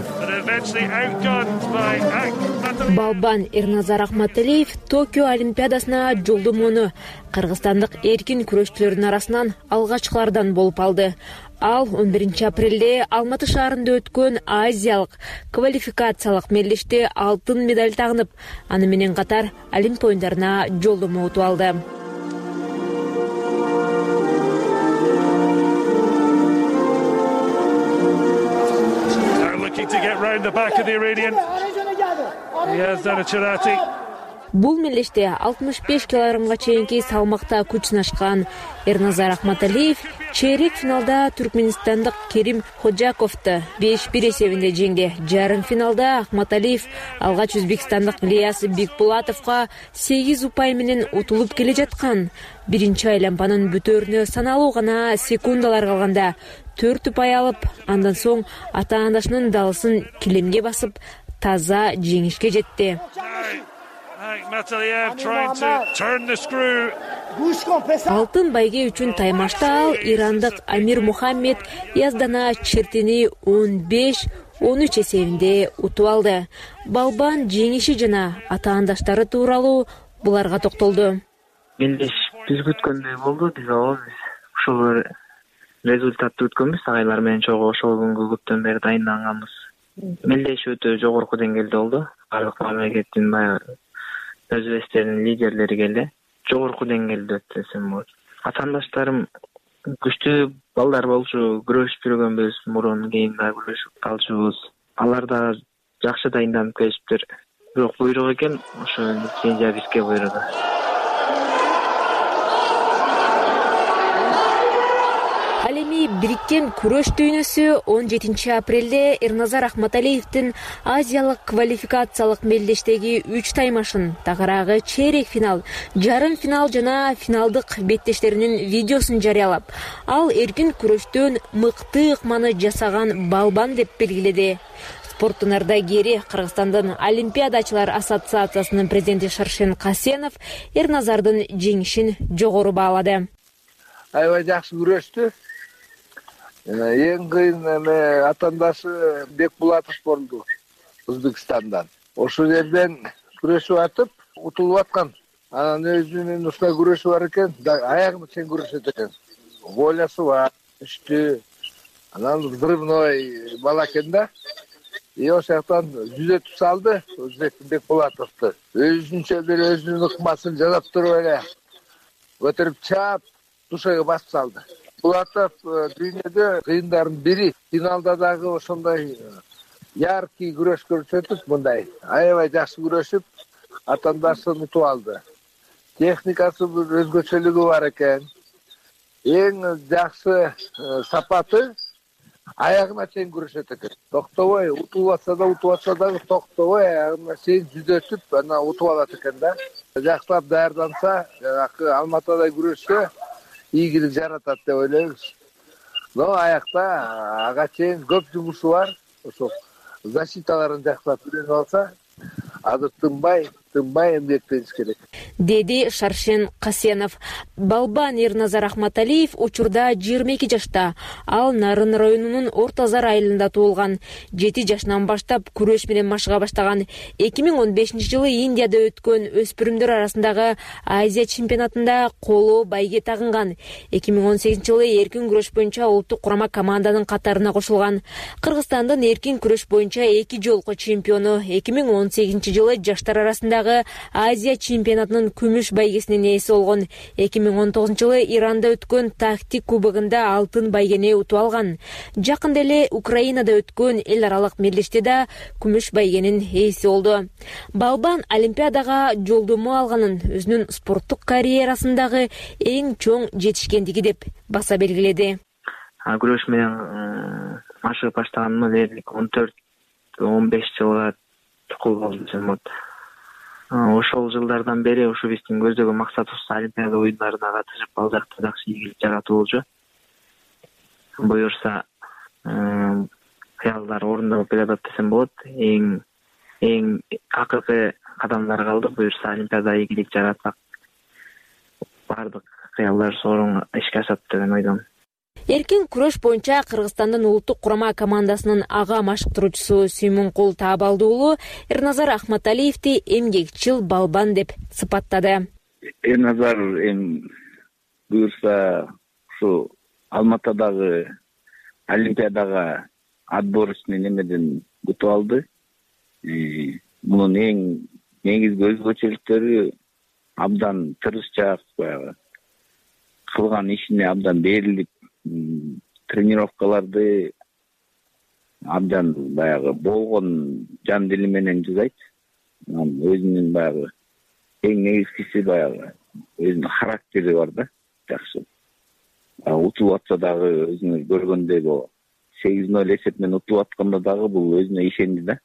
Балбан Эрназар Ахматалиев Токио Олимпиадасына жолдомону кыргызстандык эркин күрөшчүлөрдүн арасынан алгачкылардан болуп алды. Ал 11 апрелде Алматы шаарында өткөн Азиялык квалификациялык мелдеште алтын медаль тагынып, аны менен катар Олимп оюндарына жолдомо утуп алды. Бул мелдеште 65 килограммга чейинки салмакта күч сынашкан Эрназар Ахматалиев чейрек финалда түркмөнстандык Керим Ходжаковду 5-1 эсебинде жеңди. Жарым финалда Ахматалиев алгач өзбекстандык Ильяс Бекбулатовго 8 упай менен утулуп келе жаткан. Биринчи айлампанын бүтөөрүнө саналуу гана секундалар калганда 4 упай алып, андан соң ата-анашынын далысын килемге басып, таза жеңишке жетти. Алтын байге үчүн таймашта ал ирандык Амир Мухаммед Яздана Чертини 15-13 эсебинде утуп алды. Балбан жеңиши жана ата-андаштары тууралуу буларга токтолду. Мелдеш биз күткөндөй болду, биз ушул результатты күткөнбүз, агайлар менен чогуу ошол күнгө көптөн бери дайынданганбыз. Мелдеш өтө жогорку деңгээлде болду. Бардык мамлекеттин өзбектердин лидерлери келди. Жогорку деңгээлде өттү десем болот. Ата-андаштарым күчтүү балдар болчу, күрөшүп жүргөнбүз, мурун кийин да күрөшүп калчубуз. Алар да жакшы дайынданып келишиптир. Бирок буйрук экен, ошо лицензия бизге буйруду. Ал эми бириккен күрөш дүйнөсү 17 апрелде Эрназар Ахматалиевдин Азиялык квалификациялык мелдештеги 3 таймашын, тагыраагы чейрек финал, жарым финал жана финалдык беттештеринин видеосун жарыялап, ал эркин күрөштөн мыкты ыкманы жасаган балбан деп белгиледи. Спорттун ардагери Кыргызстандын Олимпиадачылар ассоциациясынын президенти Шаршен Касенов Эрназардын жеңишин жогору баалады. Аябай жакшы күрөштү. Эң кыйын атаандашы Бекбулатов болду Өзбекстандан. Ошол жерден күрөшүп атып, утулуп аткан. Анан өзүнүн ушундай күрөшү бар экен, аягына чейин күрөшөт экен. Волясы бар, күчтүү. Анан взрывной бала экен да. Ошол жактан жүзөтүп салды Бекбулатовду. Өзүнчө бир өзүнүн ыкмасын жасап туруп эле көтөрүп чаап, душага басып салды. Булатов дүйнөдө кыйындардын бири. Финалда дагы ошондой яркий күрөш көрсөтүп, мындай аябай жакшы күрөшүп, атаандаштарын утуп алды. Техникасы бир өзгөчөлүгү бар экен. Эң жакшы сапаты аягына чейин күрөшөт экен. Токтобой, утулуп атса дагы токтобой аягына чейин жүзөтүп, анан утуп алат экен да. Жакшылап даярданса, Алматыдай күрөшкө ийгилик жаратат деп ойлойбуз. Но аякта ага чейин көп жумушу бар. Ошо защиталарын жакшылап үйрөнүп алса, азыр тынбай эмгектениш керек, деди Шаршен Касенов. Балбан Эрназар Ахматалиев учурда 22 жашта. Ал Нарын районунун Ортозар айылында туулган. 7 жашынан баштап күрөш менен машыга баштаган. 2015 жылы Индияда өткөн өспүрүмдөр арасындагы Азия чемпионатында коло байге тагынган. 2018 жылы эркин күрөш боюнча улуттук курама команданын катарына кошулган. Кыргызстандын эркин күрөш боюнча 2 жолку чемпиону. 2018 жылы жаштар арасындагы Азия чемпионатынын күмүш байгесинин ээси болгон. 2019 жылы Иранда өткөн тактик кубогунда алтын байгени утуп алган. Жакында эле Украинада өткөн эл аралык мелдеште да күмүш байгенин ээси болду. Балбан Олимпиадага жолдомо алганын өзүнүн спорттук карьерасындагы эң чоң жетишкендиги деп баса белгиледи. Күрөш менен машыгып баштаганыма дээрлик 14-15 жылга чукул болду десем болот. Ошол жылдардан бери ушу биздин көздөгөн максатыбыз Олимпиада оюндарына катышып, ал жакта жакшы ийгилик жаратуу болчу. Буюрса, кыялдар орундалып келатат десем болот. Эң акыркы кадамдар калды. Буюрса, Олимпиада ийгилик жаратсак, бардык кыялдар сорун ишке ашат деген ойдомун. Эркин күрөш боюнча Кыргызстандын улуттук курама командасынын ага машыктыруучусу Сүймөнкул Таабалды уулу Эрназар Ахматалиевди эмгекчил балбан деп сыпаттады. Эрназар буюрса ушу Алматадагы Олимпиадага отбор үчүн немеден утуп алды. Мунун эң негизги өзгөчөлүктөрү абдан тырышчаак, баягы кылган ишине абдан берилип, тренировкаларды абдан баягы болгон жан дили менен жасайт. Өзүнүн баягы эң негизгиси баягы өзүнүн характери бар да, жакшы. Утулуп атса дагы өзүңүз көргөндөй 8-0 эсеп менен утулуп атканда дагы бул өзүнө ишенди да.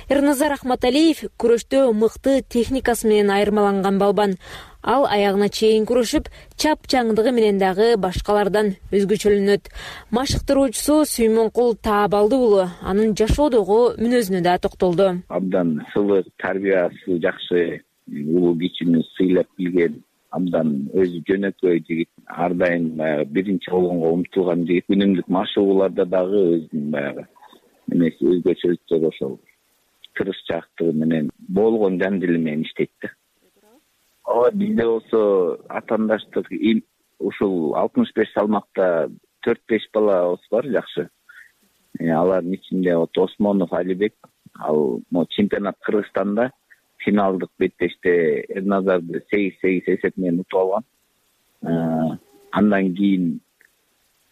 Эрназар Ахматалиев күрөштө мыкты техникасы менен айырмаланган балбан. Ал аягына чейин күрөшүп, чапчаңдыгы менен дагы башкалардан өзгөчөлөнөт. Машыктыруучусу Сүймөнкул Таабалды уулу анын жашоодогу мүнөзүнө да токтолду. Абдан сылык, тарбиясы жакшы, улуу кичүүнү сыйлап билген, абдан өзү жөнөкөй жигит, ар дайым баягы биринчи болгонго умтулган жигит. Үнүмдүк машыгууларда дагы өзүнүн баягы эмеси өзгөчөлүктөр ошол тырышчаактыгы менен болгон жан дили менен иштейт да. Бизде болсо атаандаштык ушул 65 салмакта 4-5 балабыз бар, жакшы. Алардын ичинде Осмонов Алибек, ал чемпионат Кыргызстанда финалдык беттеште Эрназарды 8-8 эсеп менен утуп алган. Андан кийин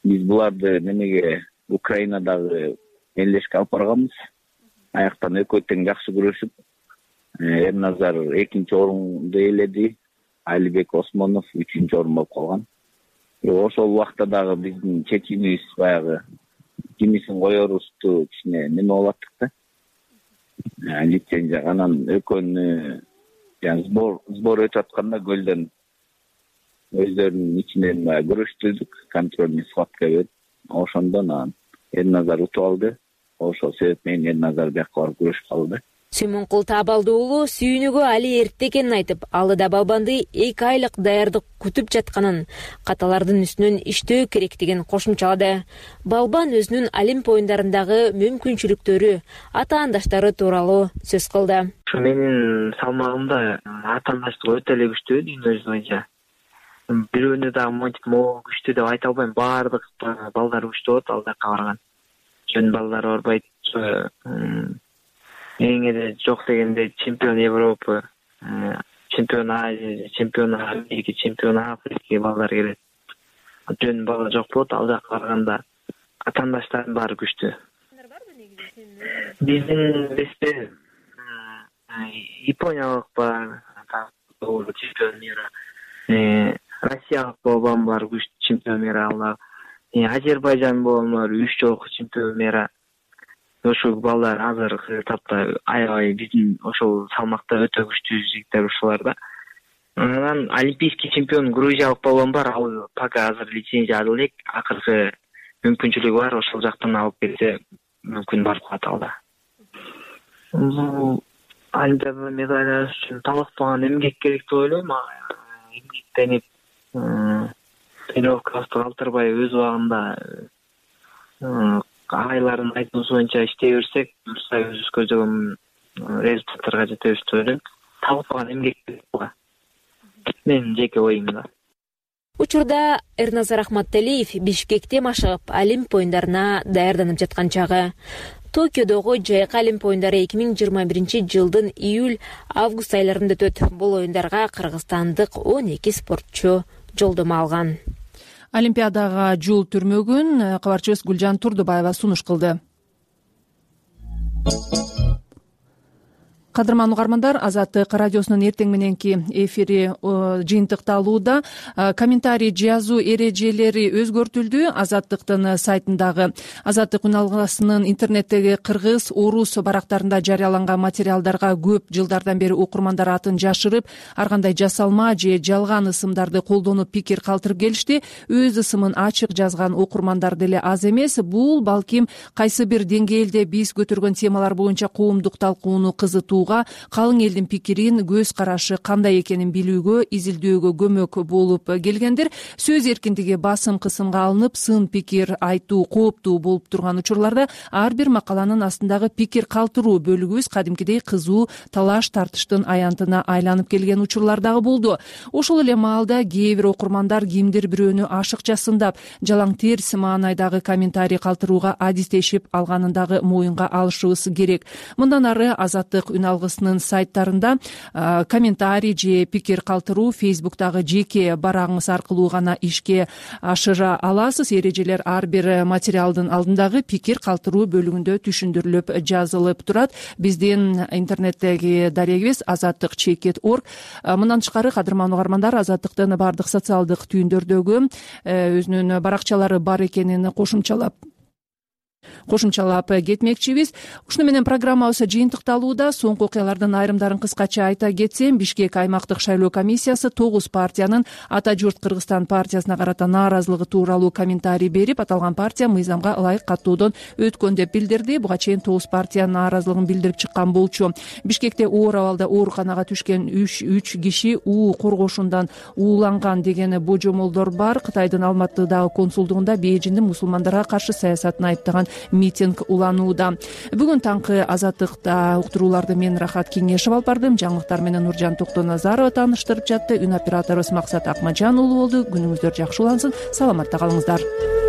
биз буларды немеге Украинадагы мелдешке алып барганбыз. Аяктан экөө тең жакшы күрөшүп, Эрназар 2-нчи орунду ээледи, Алибек Осмонов 3-нчи орун болуп калган. Ошол убакта дагы биздин чечимибиз баягы кимисин коерубузду кичине неме болуп аттык да. Лицензия анан экөөнү сбор өтүп атканда көлдөн өздөрүнүн ичинен күрөштүрдүк, контрольный схватка берип, ошондон Эрназар утуп алды. Ошол себеп менен Эрназар бияка барып күрөшүп калды. Сүймөнкул Таабалды уулу сүйүнүгү али эрте экенин айтып, алдыда балбанды 2 айлык даярдык күтүп жатканын, каталардын үстүнөн иштөө керектигин кошумчалады. Балбан өзүнүн Олимп оюндарындагы мүмкүнчүлүктөрү, атаандаштары тууралуу сөз кылды. Ушу менин салмагымда атаандаштык өтө эле күчтүү дүйнө жүзү боюнча. Бирөөнү дагы монтип могу күчтүү деп айта албайм. Баардык балдар күчтүү болот ал жака барган. Жөн балдар барбайт. Эң эле жок дегенде чемпион Европы, чемпион Азия, чемпион Америка, чемпион Африка балдар келет. Жөн бала жок болот, ал жака барганда атаандаштардын баары күчтүү. Биздин бесте Япониялык бар, чемпион мира, Россиялык балбан бар, күчтүү чемпион мира, Азербайжан балбан бар, 3 жолку чемпион мира. Ошол балдар азыркы тапта аябай биздин ошол салмакта өтө күчтүү жигиттер ушулар да. Анан олимпийский чемпион грузиялык балбан бар, ал пока азыр лицензия алып элек, акыркы мүмкүнчүлүгү бар, ошол жактан алып келсе мүмкүн барып калат алда. Олимпиада медаль үчүн талаштаган эмгек керек деп ойлойм. Эмгектенип, тренировкабызды калтырбай өз убагында айлардын айтуусу боюнча иштей берсек, буюрса өзүбүз көздөгөн результаттарга жетебиз деп ойлойм. Талаштаган эмгек керек буга. Менин жеке оюм да. Учурда Эрназар Ахматалиев Бишкекте машыгып, Олимп оюндарына даярданып жаткан чагы. Токиодогу жайкы Олимп оюндары 2021-жылдын июль-август айларында өтөт. Бул оюндарга кыргызстандык 12 спортчу жолдомо алган. Олимпиадага жол түрмөгүн кабарчыбыз Гүлжан Турдубаева сунуш кылды. Кадырман угармандар, Азаттык радиосунун эртең мененки эфири жыйынтыкталууда. Комментарий жазуу эрежелери өзгөртүлдү. Азаттыктын сайтындагы Азаттык үн алгысынын интернеттеги кыргыз, орус барактарында жарыяланган материалдарга көп жылдардан бери окурмандар атын жашырып, ар кандай жасалма же жалган ысымдарды колдонуп пикир калтырып келишти. Өз ысымын ачык жазган окурмандар деле аз эмес. Бул балким кайсы бир деңгээлде биз көтөргөн темалар боюнча коомдук талкууну кызытуу кылууга, калың элдин пикирин, көз карашы кандай экенин билүүгө, изилдөөгө көмөк болуп келгендир. Сөз эркиндиги басым кысымга алынып, сын пикир айтуу кооптуу болуп турган учурларда ар бир макаланын астындагы пикир калтыруу бөлүгүбүз кадимкидей кызуу талаш тартыштын аянтына айланып келген учурлар дагы болду. Ошол эле маалда кээ бир окурмандар кимдир бирөөнү ашыкча сындап, жалаң терс маанайдагы комментарий калтырууга адистешип алганын дагы моюнга алышыбыз керек. Мындан ары Азаттык үн алгысынын сайттарында комментарий же пикир калтыруу Facebook'тагы жеке барагыңыз аркылуу гана ишке ашыра аласыз. Эрежелер ар бир материалдын алдындагы пикир калтыруу бөлүгүндө түшүндүрүлүп жазылып турат. Биздин интернеттеги дарегибиз azattik.org. Мындан тышкары кадырман угармандар, Азаттыктын бардык социалдык түйүндөрдөгү өзүнүн баракчалары бар экенин кошумчалап кетмекчибиз. Ушуну менен программабыз жыйынтыкталууда. Соңку окуялардын айрымдарын кыскача айта кетсем, Бишкек аймактык шайлоо комиссиясы 9 партиянын Ата журт Кыргызстан партиясына карата нааразылыгы тууралуу комментарий берип, аталган партия мыйзамга ылайык каттоодон өткөн деп билдирди. Буга чейин 9 партия нааразылыгын билдирип чыккан болчу. Бишкекте оор абалда ооруканага түшкөн 3 киши уу коргошундан ууланган деген божомолдор бар. Кытайдын Алматыдагы консулдугунда бейжиндин мусулмандарга каршы саясатын айыптаган митинг уланууда. Бүгүн таңкы Азаттыкта уктурууларды мен Рахат Кеңешев алып бардым. Жаңылыктар менен Нуржан Токтоназарова тааныштырып жатты. Үн операторубуз Максат Акмажан уулу болду. Күнүңүздөр жакшы улансын. Саламатта калыңыздар.